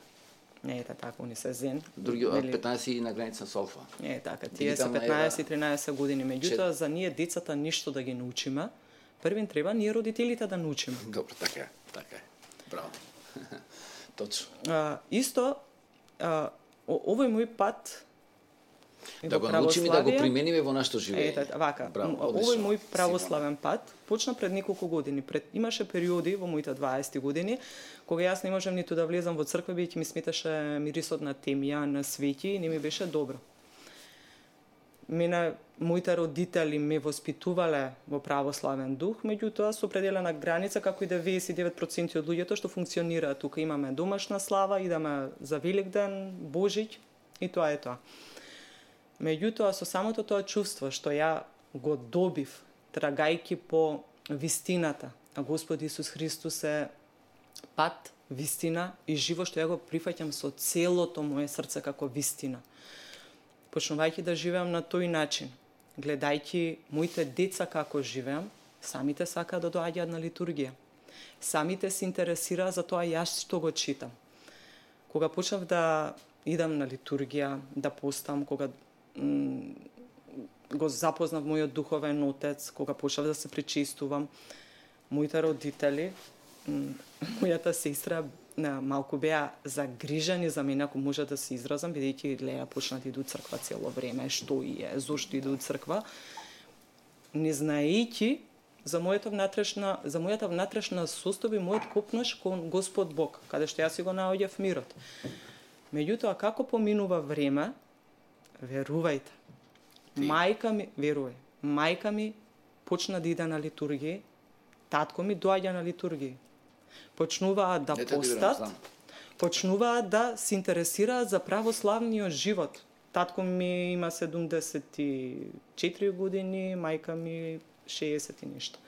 Не е така, они се зен. Други од петнаесет и на граница со алфа. Не е така, тие се петнаесет и тринаесет години. Меѓутоа, за ние децата ништо да ги научиме, првин треба ние родителите да научиме. Добро, така е, така е. Браво. Точно. А, исто, а, овој мој пат да го научиме да го примениме во нашето живење. Ете, вака. Браво, овој мој православен пат почна пред неколку години. Пред имаше периоди во моите дваесет години кога јас не можам ниту да влезам во црква, бидејќи ми сметаше мирисот на темја, на свети и не ми беше добро. Мене моите родители ме воспитувале во православен дух, меѓутоа со определена граница, како и деветдесет и девет проценти од луѓето што функционираат тука. Имаме домашна слава, идеме за Великден, Божиќ и тоа е тоа. Меѓутоа, со самото тоа чувство што ја го добив, трагајки по вистината, а Господ Исус Христос е пат, вистина и живот, што ја го прифаќам со целото моје срце како вистина. Почнувајќи да живеам на тој начин, гледајќи моите деца како живеам, самите сакаат да доаѓаат на литургија. Самите се интересираат за тоа јас што го читам. Кога почнав да идам на литургија, да постам, кога го запознав мојот духовен отец, кога почнав да се причистувам, моите родители, мојата сестра малку беа загрижени за мене, ако може да се изразам, бидејќи Леја почна да иде у црква цело време, што и е, зошто иде у црква, не знаејќи за мојата внатрешна, за мојата внатрешна состојба и мојот копнаш кон Господ Бог, каде што јас си го наоѓав мирот. Меѓутоа, како поминува време, верувајте, мајка ми, верувај, мајка ми почна да иде на литургија, татко ми доаѓа на литургија. Почнуваат да постат, почнуваат да се интересираат за православниот живот. Татко ми има седумдесет и четири години, мајка ми шеесет и нешто.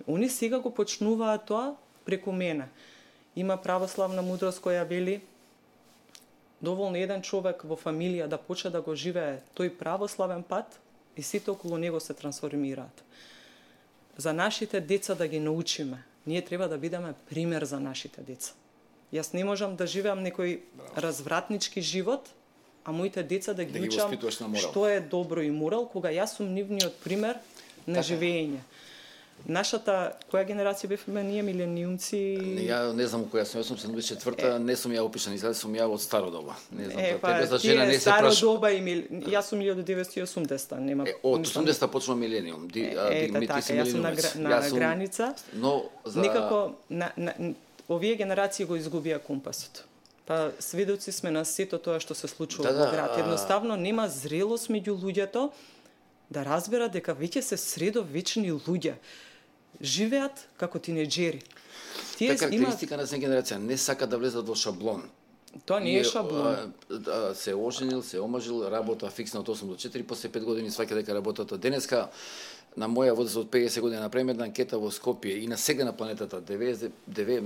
Они сега го почнуваат тоа преку мене. Има православна мудрост која вели доволно еден човек во фамилија да почне да го живее тој православен пат и сите околу него се трансформираат. За нашите деца да ги научиме, ние треба да бидеме пример за нашите деца. Јас не можам да живеам некој развратнички живот, а моите деца да ги, да ги учам што е добро и морал, кога јас сум нивниот пример на така живење. Нашата, која генерација бевме ние, милениумци? Ја не знам која сум, јас сум седумдесет и четврта, не сум ја опишан, изгледа сум ја од старо доба. Не знам, е, па, тебе за жена не се праш... Старо доба и мил... јас сум илјада деветстотини и осумдесета, нема... Е, од осумдесета почнува милениум. Ди, е, е, ета, така, јас сум на, гра... на сум... граница. Но за... Никако, на, на, овие генерации го изгубија компасот. Па сведоци сме на сето тоа што се случува да, во град. Едноставно нема зрелост меѓу луѓето да разберат дека веќе се средовечни луѓе. Живеат како тинеџери. Тие така, карактеристика има... на се генерација, не сака да влезат во шаблон. Тоа не е шаблон. А, се оженил, се омажил, работа фиксна од осум до четири, после пет години сваќа дека работата денеска. На моја возраст од пеесет години направиме една анкета во Скопје и на сега на планетата деветдесет девет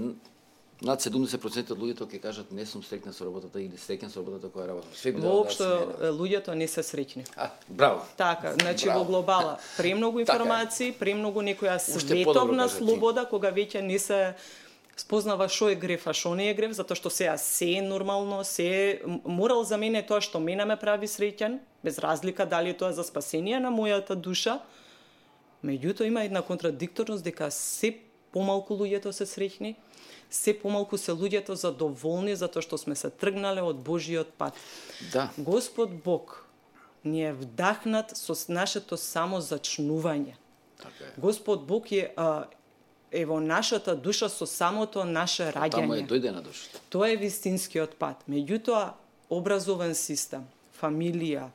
над седумдесет проценти од луѓето ќе кажат не сум среќна со работата или среќен со работата која работам. Воопшто да луѓето не се среќни. А, браво. Така, значи браво. Во глобала премногу информации, премногу некоја световна слобода кога веќе не се спознава што е греф, а што не е греф, затоа што сега се е нормално, се е морал за мене тоа што мене ме прави среќен, без разлика дали е тоа за спасение на мојата душа. Меѓутоа има една контрадикторност дека се помалку луѓето се среќни, се помалку се луѓето задоволни затоа што сме се тргнале од Божиот пат. Да. Господ Бог ни е вдахнат со нашето само зачнување. Така е. Господ Бог е, а, е во нашата душа со самото наше раѓање. Таму е дојде на душата. Тоа е вистинскиот пат. Меѓутоа, образовен систем, фамилија,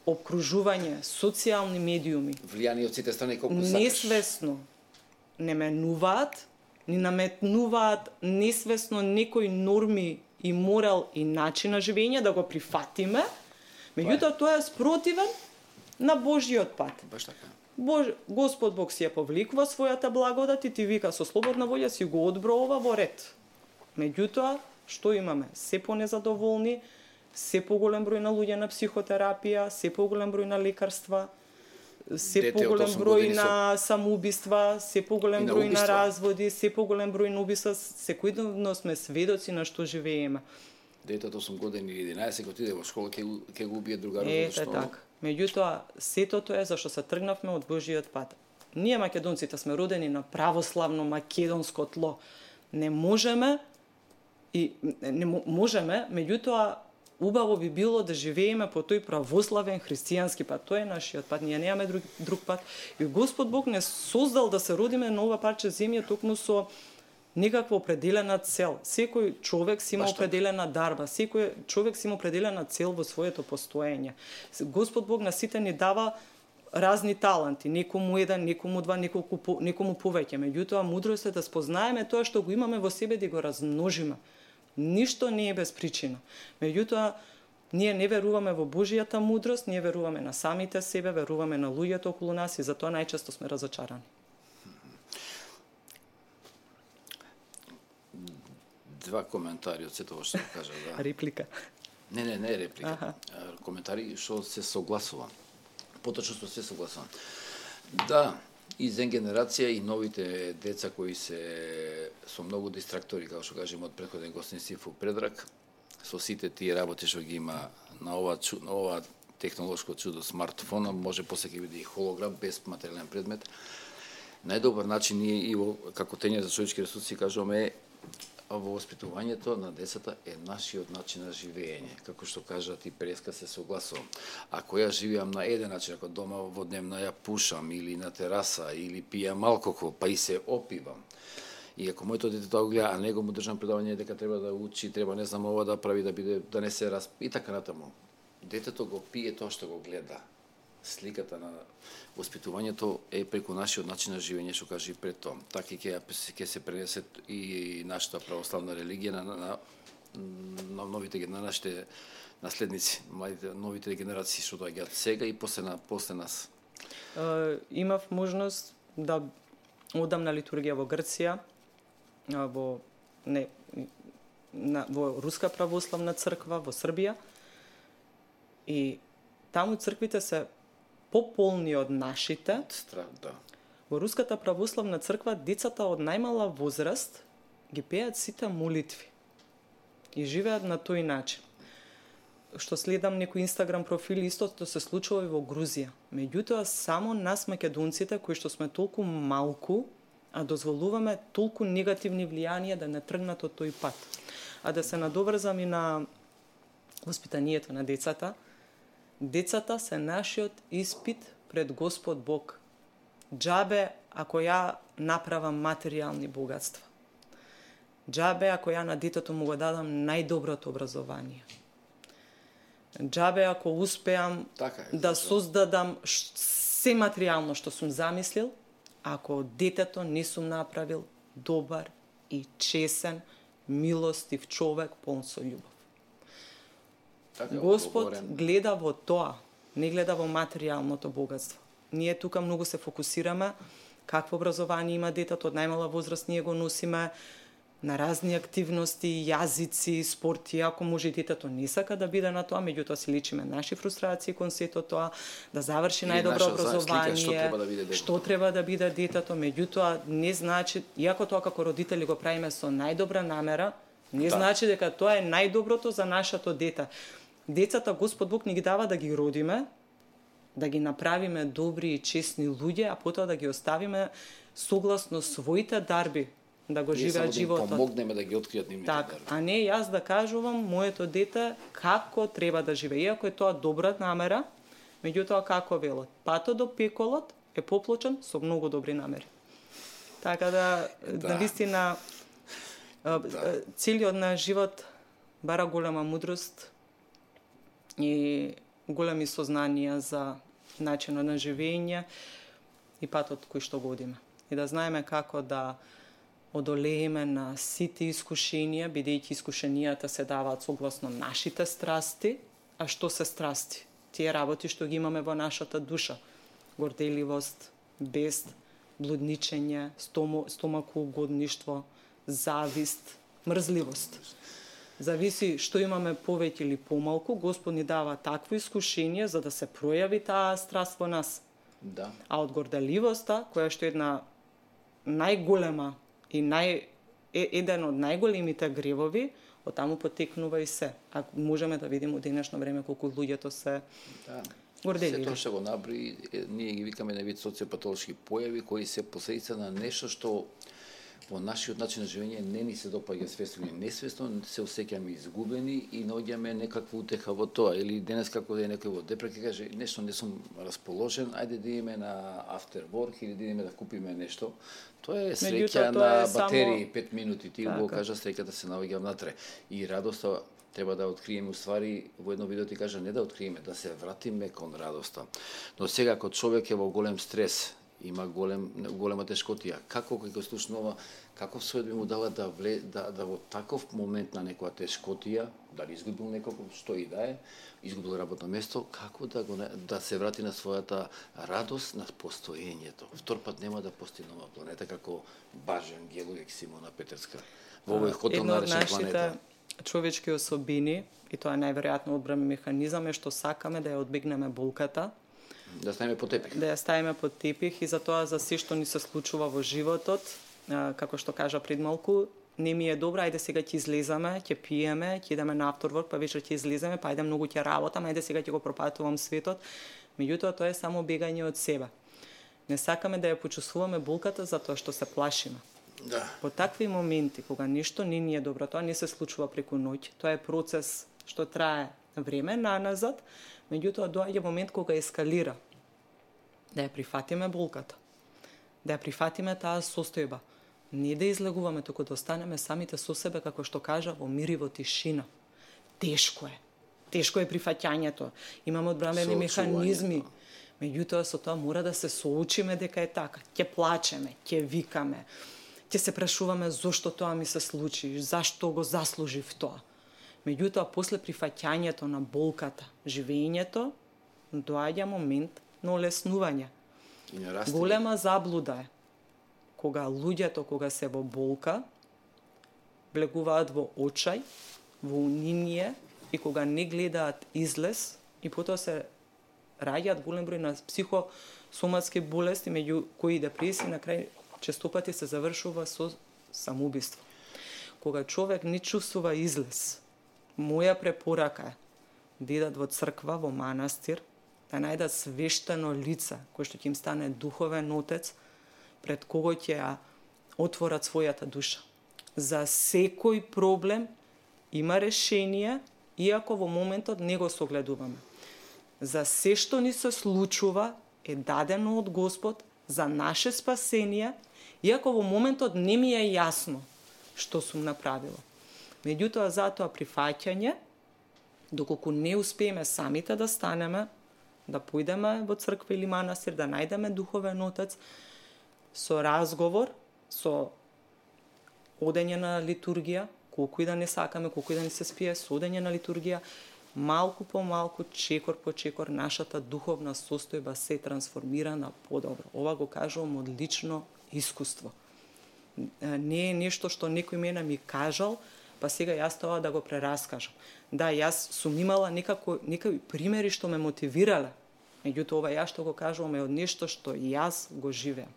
обкружување, социјални медиуми, влијани од сите страни колку сакаш. Несвесно не менуваат ни наметнуваат несвесно некои норми и морал и начин на живење, да го прифатиме, меѓутоа тоа е спротивен на Божјиот пат. Баш така. Бож, Господ Бог си ја повликува својата благодат и ти вика со слободна волја си го одброува во ред. Меѓутоа, што имаме? Се понезадоволни, се поголем број на луѓе на психотерапија, се поголем број на лекарства, се Дете поголем од осум број години на самоубиства, се поголем И на број на убиства. разводи, се поголем број на убиства, секојдневно сме сведоци на што живееме. Дете од осум години или единаесет отиде во школа, ќе го- ќе го убие другарот Ете што така. Меѓутоа, сето тоа е зашто се тргнавме од Божиот пат. Ние македонците сме родени на православно македонско тло. Не можеме и не мо- можеме, меѓутоа убаво би било да живееме по тој православен христијански пат. Тоа е нашиот пат. Ние немаме друг, друг пат. И Господ Бог не создал да се родиме на ова парче земја токму со некаква определена цел. Секој човек си има Баш така. определена дарба, секој човек си има определена цел во своето постоење. Господ Бог на сите ни дава разни таланти, некому еден, некому два, неколку по, некому повеќе. Меѓутоа мудрост е да спознаеме тоа што го имаме во себе, да го размножиме. Ништо не е без причина. Меѓутоа ние не веруваме во Божјата мудрост, ние веруваме на самите себе, веруваме на луѓето околу нас и затоа најчесто сме разочарани. Два коментари од сето што го кажа, да. Реплика. Не, не, не е реплика. Аха. А, коментари што се согласувам. Поточно што се согласувам. Да, и зен генерација и новите деца кои се со многу дистрактори, како што кажем од претходен гостин Сифу Предрак, со сите тие работи што ги има на ова, чу- на ова технолошко чудо смартфона, може после ќе биде и холограм без материјален предмет. Најдобар начин ние и во, како тење за човечки ресурси кажуваме во воспитувањето на децата е нашиот начин на живење. Како што кажат и преска се согласувам. Ако ја живеам на еден начин, ако дома во дневна ја пушам или на тераса или пијам алкохол, па и се опивам. И ако моето дете тоа го гледа, а него му држам предавање дека треба да учи, треба не знам ова да прави да биде да не се расп и така натаму. Детето го пие тоа што го гледа. Сликата на воспитувањето е преку нашиот начин на живење, што кажа и пред тоа. Така ќе ќе се пренесе и нашата православна религија на на, на, на новите на нашите наследници, младите новите генерации што доаѓаат сега и после на после нас. Uh, имав можност да одам на литургија во Грција, а, во не на, во Руска православна црква во Србија. И таму црквите се пополни од нашите. Страх, да. Во Руската православна црква децата од најмала возраст ги пеат сите молитви и живеат на тој начин. Што следам некои инстаграм профили, истото се случува и во Грузија. Меѓутоа, само нас македонците, кои што сме толку малку, а дозволуваме толку негативни влијанија да не тргнат од тој пат. А да се надоврзам и на воспитанието на децата, децата се нашиот испит пред Господ Бог. Џабе ако ја направам материјални богатства. Џабе ако ја на детето му го дадам најдоброто образование. Џабе ако успеам Така е, да зашто? создадам ш- се материјално што сум замислил, ако детето не сум направил добар и чесен, милостив човек полн со љубов. Така е Господ одговорен. гледа во тоа, не гледа во материјалното богатство. Ние тука многу се фокусираме какво образование има детето, од најмала возраст ние го носиме на разни активности, јазици, спорти, ако може и детето не сака да биде на тоа, меѓутоа си личиме наши фрустрации кон сето тоа, да заврши Или најдобро наша слика образование, што треба да биде детето. што треба да биде детето, меѓутоа не значи, иако тоа како родители го правиме со најдобра намера, не Да. значи дека тоа е најдоброто за нашето дете. Децата Господ Бог ни ги дава да ги родиме, да ги направиме добри и честни луѓе, а потоа да ги оставиме согласно своите дарби да го Ние само живеат да им животот. помогнеме да ги откријат нивните Так, дарби. а не јас да кажувам моето дете како треба да живее. Иако е тоа добра намера, меѓутоа како велат, патот до пеколот е поплочен со многу добри намери. Така да, Да. на вистина, а, Да. целиот на живот бара голема мудрост и големи сознанија за начинот на живење и патот кој што годиме. И да знаеме како да одолееме на сите искушенија, бидејќи искушенијата се даваат согласно нашите страсти. А што се страсти? Тие работи што ги имаме во нашата душа. Горделивост, бест, блудничење, стомо, стомакоугодништво, завист, мрзливост. Зависи што имаме повеќе или помалку, Господ ни дава такво искушение за да се пројави таа страст во нас. Да. А од горделивоста, која што е една најголема и нај, е, еден од најголемите гревови, од таму потекнува и се. Ако можеме да видиме од денешно време колку луѓето се да. горделиви. Се тоа што го набри, ние ги викаме на вид социопатолошки појави кои се последица на нешто што во нашиот начин на живење не ни се допаѓа свесно или несвесно, се осеќаме изгубени и наоѓаме некаква утеха во тоа. Или денес како да е некој во депресија каже нешто не сум расположен, ајде да идеме на after work или да идеме да купиме нешто. Тоа е среќа на батерии, само пет минути, ти го кажа среќата се наоѓа внатре. И радоста треба да откриеме, уствари, во едно видео ти кажа не да откриеме, да се вратиме кон радоста. Но сега, ако човек е во голем стрес, има голем, голема тешкотија, како кога слушнува, како Сојот би му дала да, вле, да, да во таков момент на некоја тешкотија, дали изгубил некој, што и да е, изгубил работно место, како да, го, да се врати на својата радост на постоењето. Втор пат нема да постои нова планета, како Бажен Гелуек Симона Петерска. Во овој хотел наречен планета. Човечки особини, и тоа е најверојатно одбран механизам, е што сакаме да ја одбегнеме болката, да ставиме под тепих. Да ја ставиме под тепих и затоа за се што ни се случува во животот, како што кажа пред малку, не ми е добро, ајде сега ќе излеземе, ќе пиеме, ќе идеме на авторворк, па вечер ќе излеземе, па ајде многу ќе работам, ајде сега ќе го пропатувам светот. Меѓутоа тоа е само бегање од себе. Не сакаме да ја почувствуваме болката затоа што се плашиме. Да. По такви моменти, кога нешто не ни е добро, тоа не се случува преку ноќ, тоа е процес што трае време наназад, меѓутоа доаѓа момент кога ескалира. Да ја прифатиме болката, да ја прифатиме таа состојба, не да излегуваме, туку да останеме самите со себе, како што кажа, во мир и во тишина. Тешко е. Тешко е прифаќањето. Имаме одбранени механизми. Меѓутоа со тоа мора да се соучиме дека е така. Ќе плачеме, ќе викаме, ќе се прашуваме зошто тоа ми се случи, зашто го заслужив тоа. Меѓутоа, после прифаќањето на болката, живењето, доаѓа момент на олеснување. Голема заблуда е кога луѓето, кога се во болка, влегуваат во очај, во униние и кога не гледаат излез и потоа се раѓаат голем број на психосоматски болести, меѓу кои депресија на крај често пати се завршува со самоубиство. Кога човек не чувствува излез, моја препорака е да идат во црква, во манастир, да најдат свештено лице, кој што ќе им стане духовен отец, пред кого ќе ја отворат својата душа. За секој проблем има решение, иако во моментот не го согледуваме. За се што ни се случува е дадено од Господ за наше спасение, иако во моментот не ми е јасно што сум направила. Меѓутоа, затоа прифаќање, доколку не успееме самите да станеме, да појдеме во црква или манастир, да најдеме духовен отец, со разговор, со одење на литургија, колку и да не сакаме, колку и да не се спие, со одење на литургија, малку по малку, чекор по чекор, нашата духовна состојба се трансформира на подобро. Ова го кажувам од лично искуство. Не е нешто што некој мене ми кажал, па сега јас тоа да го прераскажам. Да, јас сум имала некако, некои примери што ме мотивирале. Меѓутоа, ова јас што го кажувам е од нешто што јас го живеам.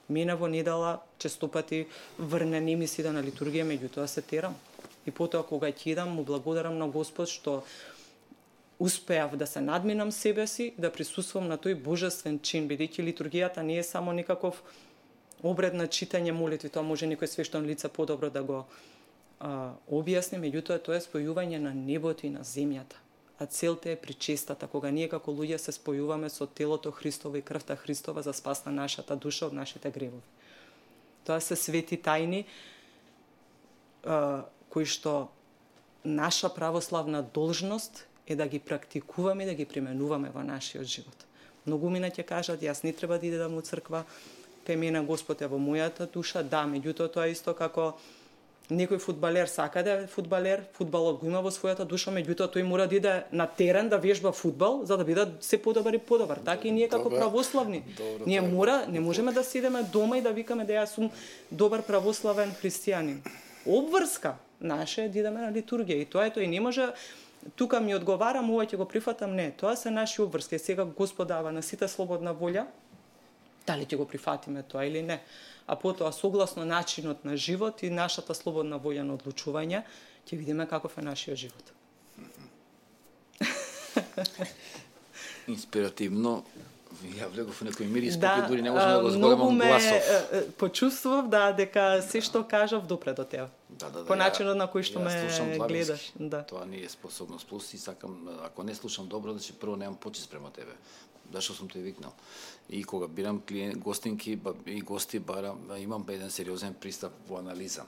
Мене во недела често пати врне не ми се да на литургија, меѓутоа се терам. И потоа кога ќе идам, му благодарам на Господ што успеав да се надминам себе си, да присуствувам на тој божествен чин, бидејќи литургијата не е само некаков обред на читање молитви, тоа може некој свештено лице подобро да го а, објасни, меѓутоа тоа е спојување на небото и на земјата. А целта е причестата, кога ние како луѓе се спојуваме со телото Христово и крвта Христова за спас на нашата душа од нашите гревови. Тоа се свети тајни а, кои што наша православна должност е да ги практикуваме и да ги применуваме во нашиот живот. Многумина ќе кажат, јас не треба да идам во црква, пемена Господ е во мојата душа, да, меѓутоа тоа е исто како некој фудбалер сака да е фудбалер, фудбалот го има во својата душа, меѓутоа тој мора да иде на терен да вежба фудбал за да биде се подобар и подобар. Така и ние како Добре. православни. Добре, ние тоа е мора, не можеме да седеме дома и да викаме да јас сум добар православен христијанин. Обврска наша е да идеме на литургија и тоа е тоа и не може тука ми одговарам, ова ќе го прифатам, не. Тоа се наши обврски. Сега Господ дава на сите слободна волја, дали ќе го прифатиме тоа или не. А потоа, согласно начинот на живот и нашата слободна волја на одлучување, ќе видиме каков е нашиот живот. Инспиративно, ја влегов во некој мир и да, споки, дури не можам да го зголемам гласов. Ме, почувствував да дека се што кажав допре до тебе. Да, да, да, По начинот на кој што ја ме слушам гледаш. длабински. Да. Тоа не е способност. Плюс и сакам, ако не слушам добро, значи прво немам почит спрема тебе. Зашто сум те викнал. И кога бирам клиент, гостинки и гости барам, имам еден сериозен пристап во анализа.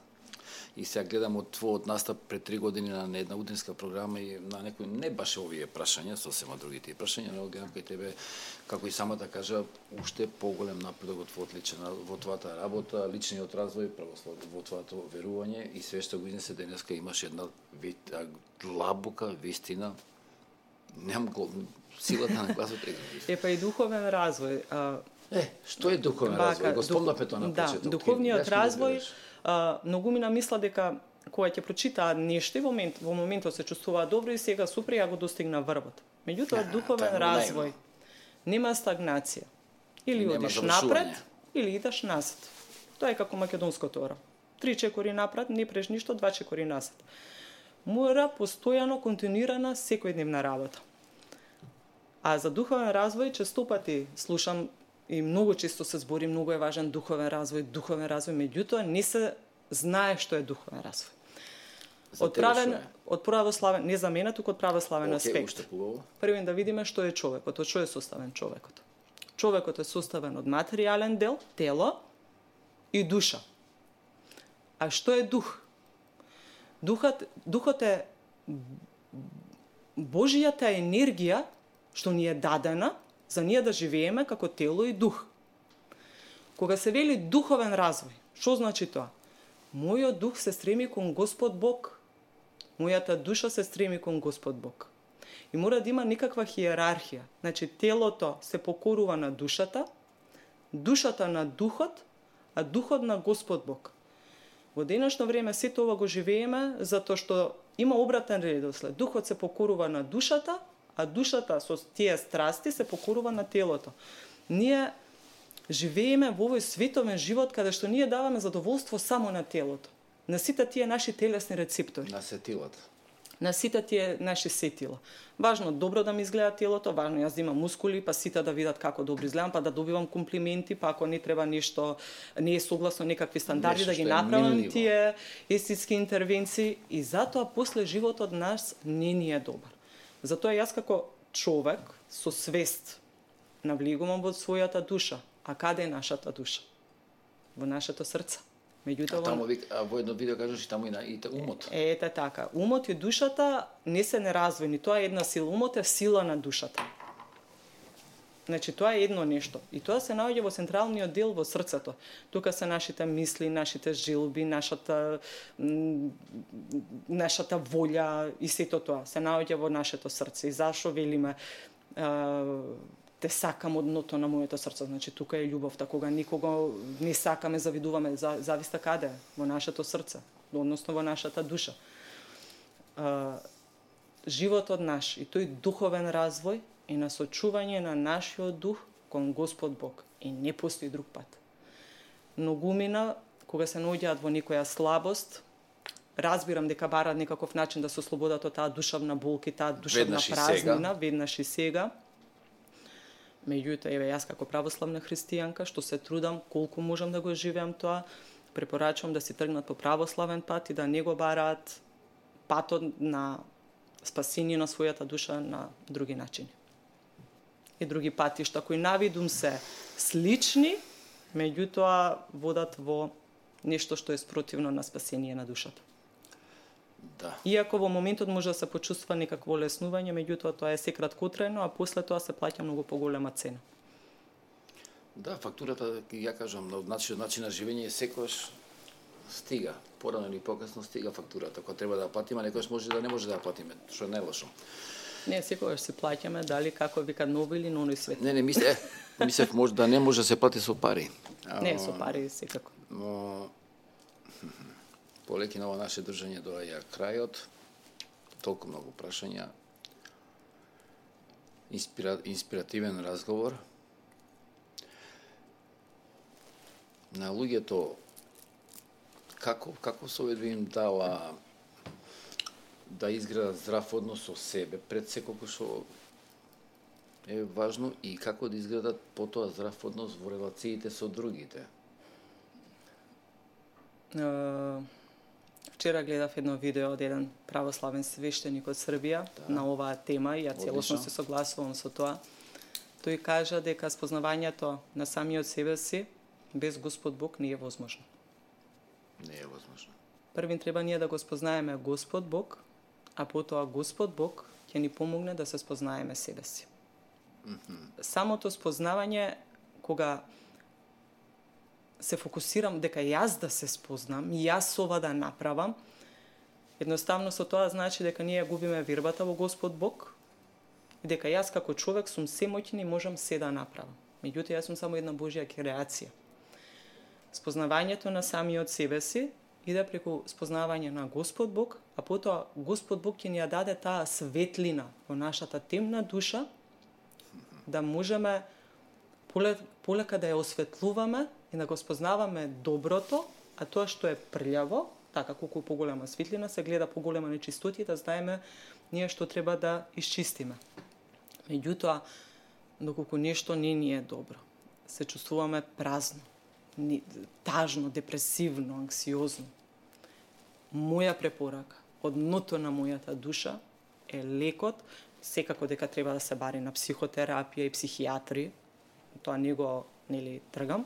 И сега гледам од твојот настап пред три години на една утринска програма и на некои не баш овие прашања, сосема другите прашања, но гледам кај тебе, како и самата кажа, уште поголем напредок во твојот личен, во твојата работа, личниот развој, православ, во твоето верување и све што го изнесе денеска имаш една длабока вистина. Немам гол... силата на гласот е. Е па и духовен развој. А... Е, што е духовен Бака, развој? Го спомнавме дух... тоа на да, почеток. духовниот развој, а, многу ми намисла дека кога ќе прочитаат нешто во момент, во моментот се чувствуваат добро и сега супер ја го достигна врвот. Меѓутоа духовен развој нема стагнација. Или одиш напред, или идеш назад. Тоа е како македонското оро. Три чекори напред, не преш ништо, два чекори назад. Мора постојано континуирана секојдневна работа. А за духовен развој често пати слушам и многу често се збори, многу е важен духовен развој, духовен развој, меѓутоа не се знае што е духовен развој. Од правен, од православен, не за мене, туку од православен okay, аспект. Прво да видиме што е човекот, од што е составен човекот. Човекот е составен од материјален дел, тело и душа. А што е дух? Духот, духот е Божијата енергија што ни е дадена за ние да живееме како тело и дух. Кога се вели духовен развој, што значи тоа? Мојот дух се стреми кон Господ Бог. Мојата душа се стреми кон Господ Бог. И мора да има некаква хиерархија. Значи, телото се покорува на душата, душата на духот, а духот на Господ Бог. Во денешно време сето ова го живееме затоа што има обратен редослед. Духот се покорува на душата, а душата со тие страсти се покорува на телото. Ние живееме во овој световен живот каде што ние даваме задоволство само на телото. На сите тие наши телесни рецептори. На сетилата. На сите тие наши сетила. Важно добро да ми изгледа телото, важно јас да имам мускули, па сите да видат како добро изгледам, па да добивам комплименти, па ако не треба нешто, не е согласно некакви стандарди нешто да ги направам тие естетски интервенции и затоа после животот нас не ни е добар. Затоа јас како човек со свест навлегувам во својата душа. А каде е нашата душа? Во нашето срце. Меѓутоа, а таму а во едно видео кажеш и таму и на и умот. Е, ете така. Умот и душата не се неразвојни. Тоа е една сила. Умот е сила на душата. Значи, тоа е едно нешто. И тоа се наоѓа во централниот дел во срцето. Тука се нашите мисли, нашите жилби, нашата нашата волја и сето тоа се наоѓа во нашето срце. И зашо велиме те сакам од дното на моето срце. Значи, тука е љубовта. Кога никого не сакаме, завидуваме, зависта каде? Во нашето срце, односно во нашата душа. А, животот наш и тој духовен развој е на сочување на нашиот дух кон Господ Бог. И не постои друг пат. Многумина, кога се наоѓаат во некоја слабост, разбирам дека бараат некаков начин да се ослободат од таа душевна болка и таа душевна празнина, веднаш и сега. Меѓутоа, еве јас како православна христијанка, што се трудам колку можам да го живеам тоа, препорачувам да си тргнат по православен пат и да не го бараат патот на спасение на својата душа на други начини. И други патишта кои навидум се слични, меѓутоа водат во нешто што е спротивно на спасение на душата. Да. Иако во моментот може да се почувства некакво леснување, меѓутоа тоа е се краткотрајно, а после тоа се плаќа многу поголема цена. Да, фактурата, ја кажам, од начин, начин на живење секојаш стига. Порано или покасно стига фактурата. Кога треба да ја платиме, некојаш може да не може да ја платиме, што е најлошо. Не, секогаш си плаќаме, дали како вика нови или нови свет. Не, не, мисле, мислев може да не може да се плати со пари. Не, со пари секако. Но полеки на ова наше држање доаѓа крајот, толку многу прашања, инспира, инспиративен разговор. На луѓето како како совет би им дала да изградат здрав однос со себе пред секолку што е важно и како да изградат потоа здрав однос во релациите со другите. Uh, вчера гледав едно видео од еден православен свештеник од Србија да. На оваа тема и ја целосно се согласувам со тоа. Тој кажа дека спознавањето на самиот себе си без Господ Бог не е возможно. Не е возможно. Првин треба ние да го спознаеме Господ Бог, а потоа Господ Бог ќе ни помогне да се спознаеме себе си. Mm-hmm. Самото спознавање, кога се фокусирам дека јас да се спознам, јас ова да направам, едноставно со тоа значи дека ние губиме вербата во Господ Бог и дека јас како човек сум семоќен и можам се да направам. Меѓутоа, јас сум само една Божја креација. Спознавањето на самиот себе си иде преку спознавање на Господ Бог, а потоа Господ Бог ќе ни ја даде таа светлина во нашата темна душа, да можеме полека да ја осветлуваме и да го спознаваме доброто, а тоа што е прљаво, така колку поголема светлина, се гледа поголема нечистоти, да знаеме ние што треба да исчистиме. Меѓутоа, доколку нешто не ни е добро, се чувствуваме празно, тажно, депресивно, анксиозно. Моја препорака од дното на мојата душа е лекот, секако дека треба да се бари на психотерапија и психијатри, тоа не го нели тргам,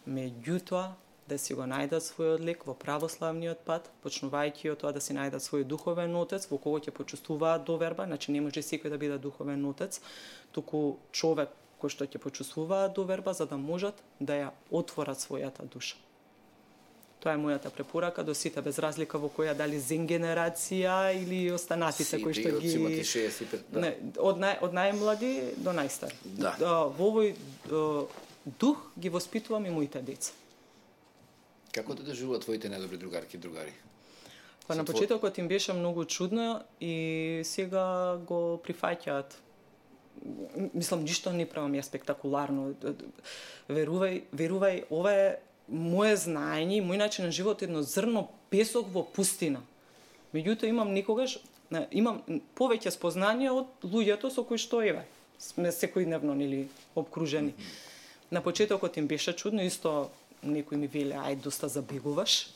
меѓутоа да си го најдат својот лек во православниот пат, почнувајќи од тоа да си најдат свој духовен отец во кого ќе почувствуваат доверба, значи не може секој да биде духовен отец, туку човек кој што ќе почувствуваат доверба за да можат да ја отворат својата душа. Тоа е мојата препорака до сите, без разлика во која дали зен генерација или останатите кои што ги шеесет и пет, да. Не, од нај од најмлади до најстари. Да. Во овој дух ги воспитувам и моите деца. Како да доживуваат твоите најдобри другарки и другари? Па на почетокот им беше многу чудно и сега го прифаќаат. Мислам, ништо не правам ја спектакуларно. Верувај, верувај, ова е моje знаење, мој начин на живот, едно зрно песок во пустина. Меѓутоа имам некогаш, имам повеќе спознање од луѓето со кои што еве сме секојдневно нели обкружени. На почетокот им беше чудно, исто некои ми веле ај доста забегуваш.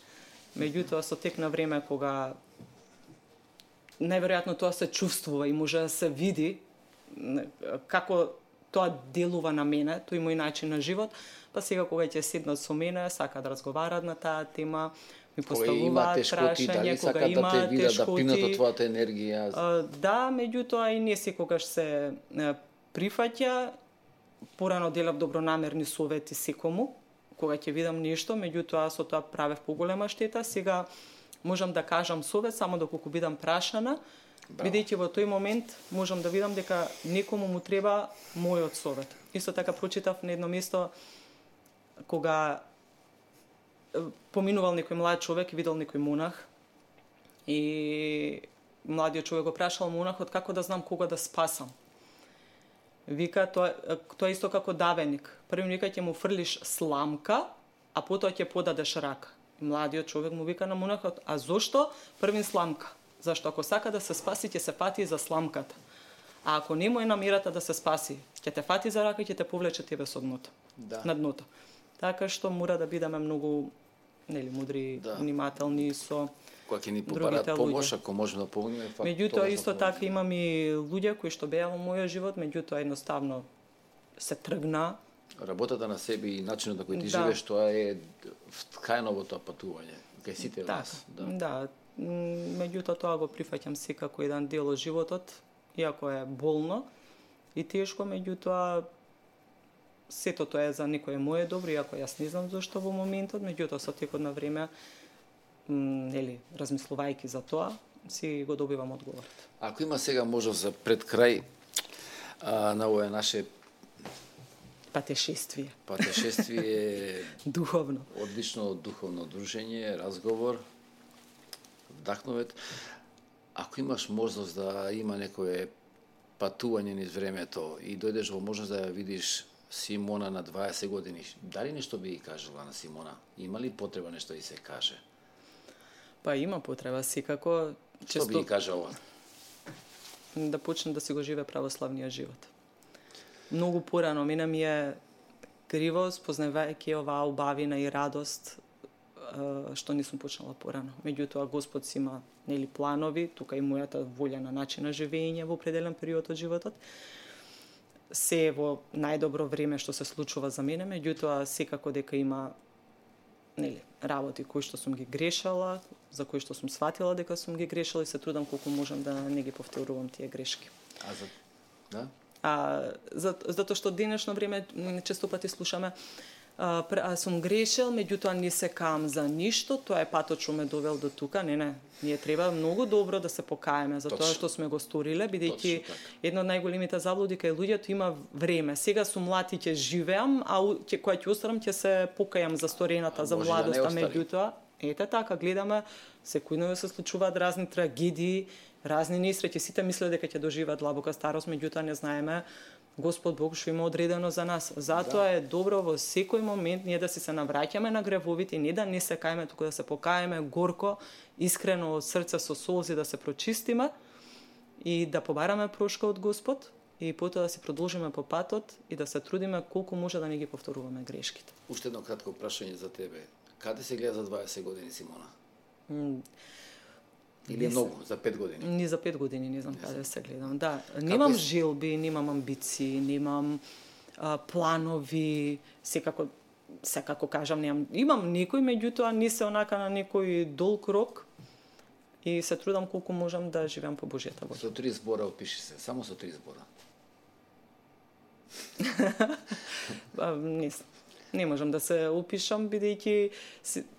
Меѓутоа со тек на време кога најверојатно тоа се чувствува и може да се види како тоа делува на мене, тој мој начин на живот, па сега кога ќе седнат со мене, сака да разговарат на таа тема, ми поставуваат прашања, кога има да те тешкоти, да пинат од твојата енергија. Да, меѓутоа и не секогаш се прифаќа. Порано делав добронамерни совети секому, кога ќе видам нешто, меѓутоа со тоа правев поголема штета. Сега можам да кажам совет само доколку бидам прашана, бидејќи во тој момент можам да видам дека некому му треба мојот совет. Исто така прочитав на едно место кога поминувал некој млад човек и видел некој монах и младиот човек го прашал монахот како да знам кога да спасам. Вика, тоа, тоа исто како давеник. Првим вика ќе му фрлиш сламка, а потоа ќе подадеш рака. Младиот човек му вика на монахот, а зошто првин сламка? Зашто ако сака да се спаси, ќе се фати за сламката. А ако не му е намерата да се спаси, ќе те фати за рака и ќе те повлече тебе со дното. Да. На дното. Така што мора да бидеме многу нели мудри, да. Внимателни со кога ќе ни попарат помош, ако можеме да помогнеме, факт. Меѓутоа исто така имам и луѓе кои што беа во мојот живот, меѓутоа едноставно се тргна. Работата на себе и начинот на кој ти да. Живееш, тоа е вткаено во тоа патување. Кај сите так, вас. Да. Да. Меѓутоа тоа го прифаќам секако еден дел од животот, иако е болно и тешко, меѓутоа сето тоа е за некое мое добро, иако јас не знам зашто во моментот, меѓутоа со текот на време, нели, размислувајќи за тоа, си го добивам одговорот. Ако има сега можност за пред крај а, на овое наше Патешествие. Патешествие Духовно. Одлично духовно дружење, разговор, вдахновет. Ако имаш можност да има некое патување низ времето и дојдеш во можност да ја видиш Симона на дваесет години, дали нешто би ги кажала на Симона? Има ли потреба нешто да се каже? Па има потреба, секако. Што би ги кажала? Да почне да си го живее православниот живот. Многу порано мене ми е криво, спознавајќи оваа убавина и радост што не сум почнала порано. Меѓутоа Господ си има, нели, планови, тука и мојата волја на начин на живење во определен период од животот. Се е во најдобро време што се случува за мене, меѓутоа секако дека има, нели, работи кои што сум ги грешала, за кои што сум сватила дека сум ги грешала и се трудам колку можам да не ги повторувам тие грешки. А за да? А, за, затоа што денешно време често пати слушаме а, а, сум грешил, меѓутоа не се каам за ништо, тоа е патот што ме довел до тука. Не, не, ние треба многу добро да се покаеме за Точно. Тоа што сме го сториле, бидејќи една од најголемите заблуди кај луѓето има време. Сега сум млад и ќе живеам, а ќе кога ќе остарам ќе се покајам за сторената, за младоста, да меѓутоа ете така гледаме секојдневно се случуваат разни трагедии, разни несреќи, сите мислат дека ќе доживеат длабока старост, меѓутоа не знаеме Господ Бог што има одредено за нас. Затоа да. Е добро во секој момент ние да си се навраќаме на гревовите, не да не се каеме, туку да се покаеме горко, искрено од срце со солзи да се прочистиме и да побараме прошка од Господ и потоа да си продолжиме по патот и да се трудиме колку може да не ги повторуваме грешките. Уште едно кратко прашање за тебе. Каде се гледа за дваесет години, Симона? М Или многу, за пет години? Ни за пет години, не знам каде се гледам. Да, немам желби, немам амбиции, немам а, планови, секако, секако кажам, немам, имам некој, меѓутоа не се онака на некој долг рок и се трудам колку можам да живеам по Божјата воља. Со три збора опиши се, само со три збора. Не знам. Не можам да се опишам, бидејќи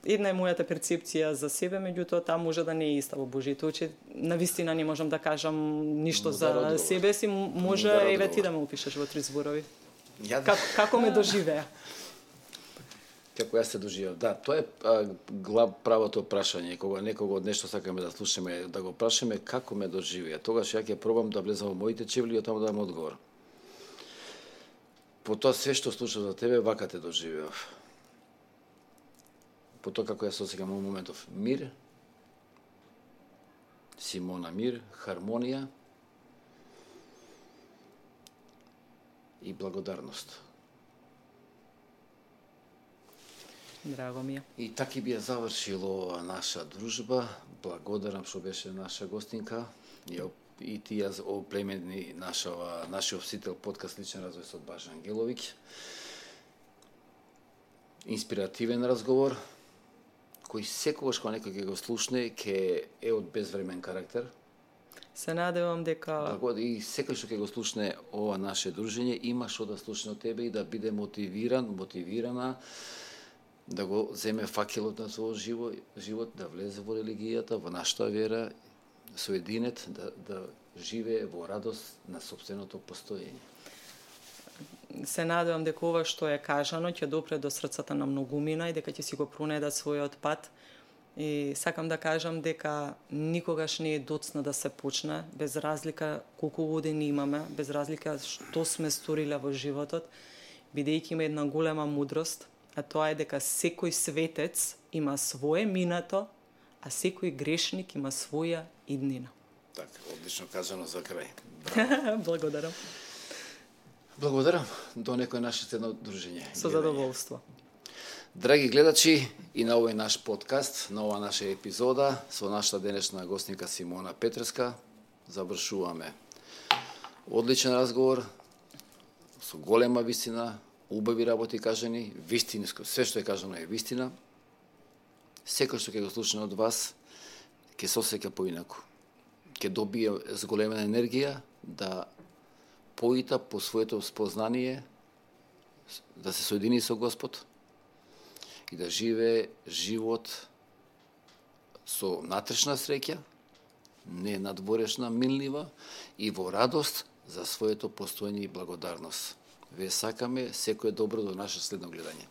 една е мојата перцепција за себе, меѓутоа таа може да не е иста во Божјите очи. Навистина не можам да кажам ништо Мудар за одговор. Себе си, може еве ти да ме опишеш во три зборови. Ја... Как, како ме доживеа? Како јас се доживеав. Да, тоа е а, глав правото прашање. Кога некого од нешто сакаме да слушаме, да го прашаме како ме доживеа. Тогаш ја ќе пробам да влезам во моите чевли и таму да дам одговор. По тоа све што слушав за тебе, вака те доживеав. По тоа како ја се осеќам во моментов мир, Симона мир, хармонија и благодарност. Драго ми е. И таки би ја завршило наша дружба. Благодарам што беше наша гостинка. И ти ја оплемени нашава, нашиот всител подкаст Личен развој со Бажа Ангеловиќ. Инспиративен разговор, кој секогаш кога некој ќе го слушне, ќе е од безвремен карактер. Се надевам дека... И секој што ќе го слушне ова наше дружење, има што да слушне од тебе и да биде мотивиран, мотивирана, да го земе факелот на својот живот, живот, да влезе во религијата, во нашата вера, соединет, да, да живее во радост на сопственото постоење. Се надевам дека ова што е кажано ќе допре до срцата на многумина и дека ќе си го пронедат својот пат. И сакам да кажам дека никогаш не е доцна да се почне, без разлика колку години имаме, без разлика што сме сториле во животот, бидејќи има една голема мудрост, а тоа е дека секој светец има свое минато, а секој грешник има своја иднина. Така, одлично кажано за крај. Благодарам. Благодарам. До некој наше следно дружење. Со задоволство. Драги гледачи, и на овој наш подкаст, на ова наша епизода, со нашата денешна гостника Симона Петреска, завршуваме. Одличен разговор, со голема вистина, убави работи кажани, вистинско, све што е кажано е вистина. Секој што ќе го слушне од вас, ќе се осеќа поинаку. Ќе добие зголемена енергија да поита по своето спознание да се соедини со Господ и да живее живот со натрешна среќа, не надворешна, минлива и во радост за своето постоење и благодарност. Ве сакаме секое добро до наше следно гледање.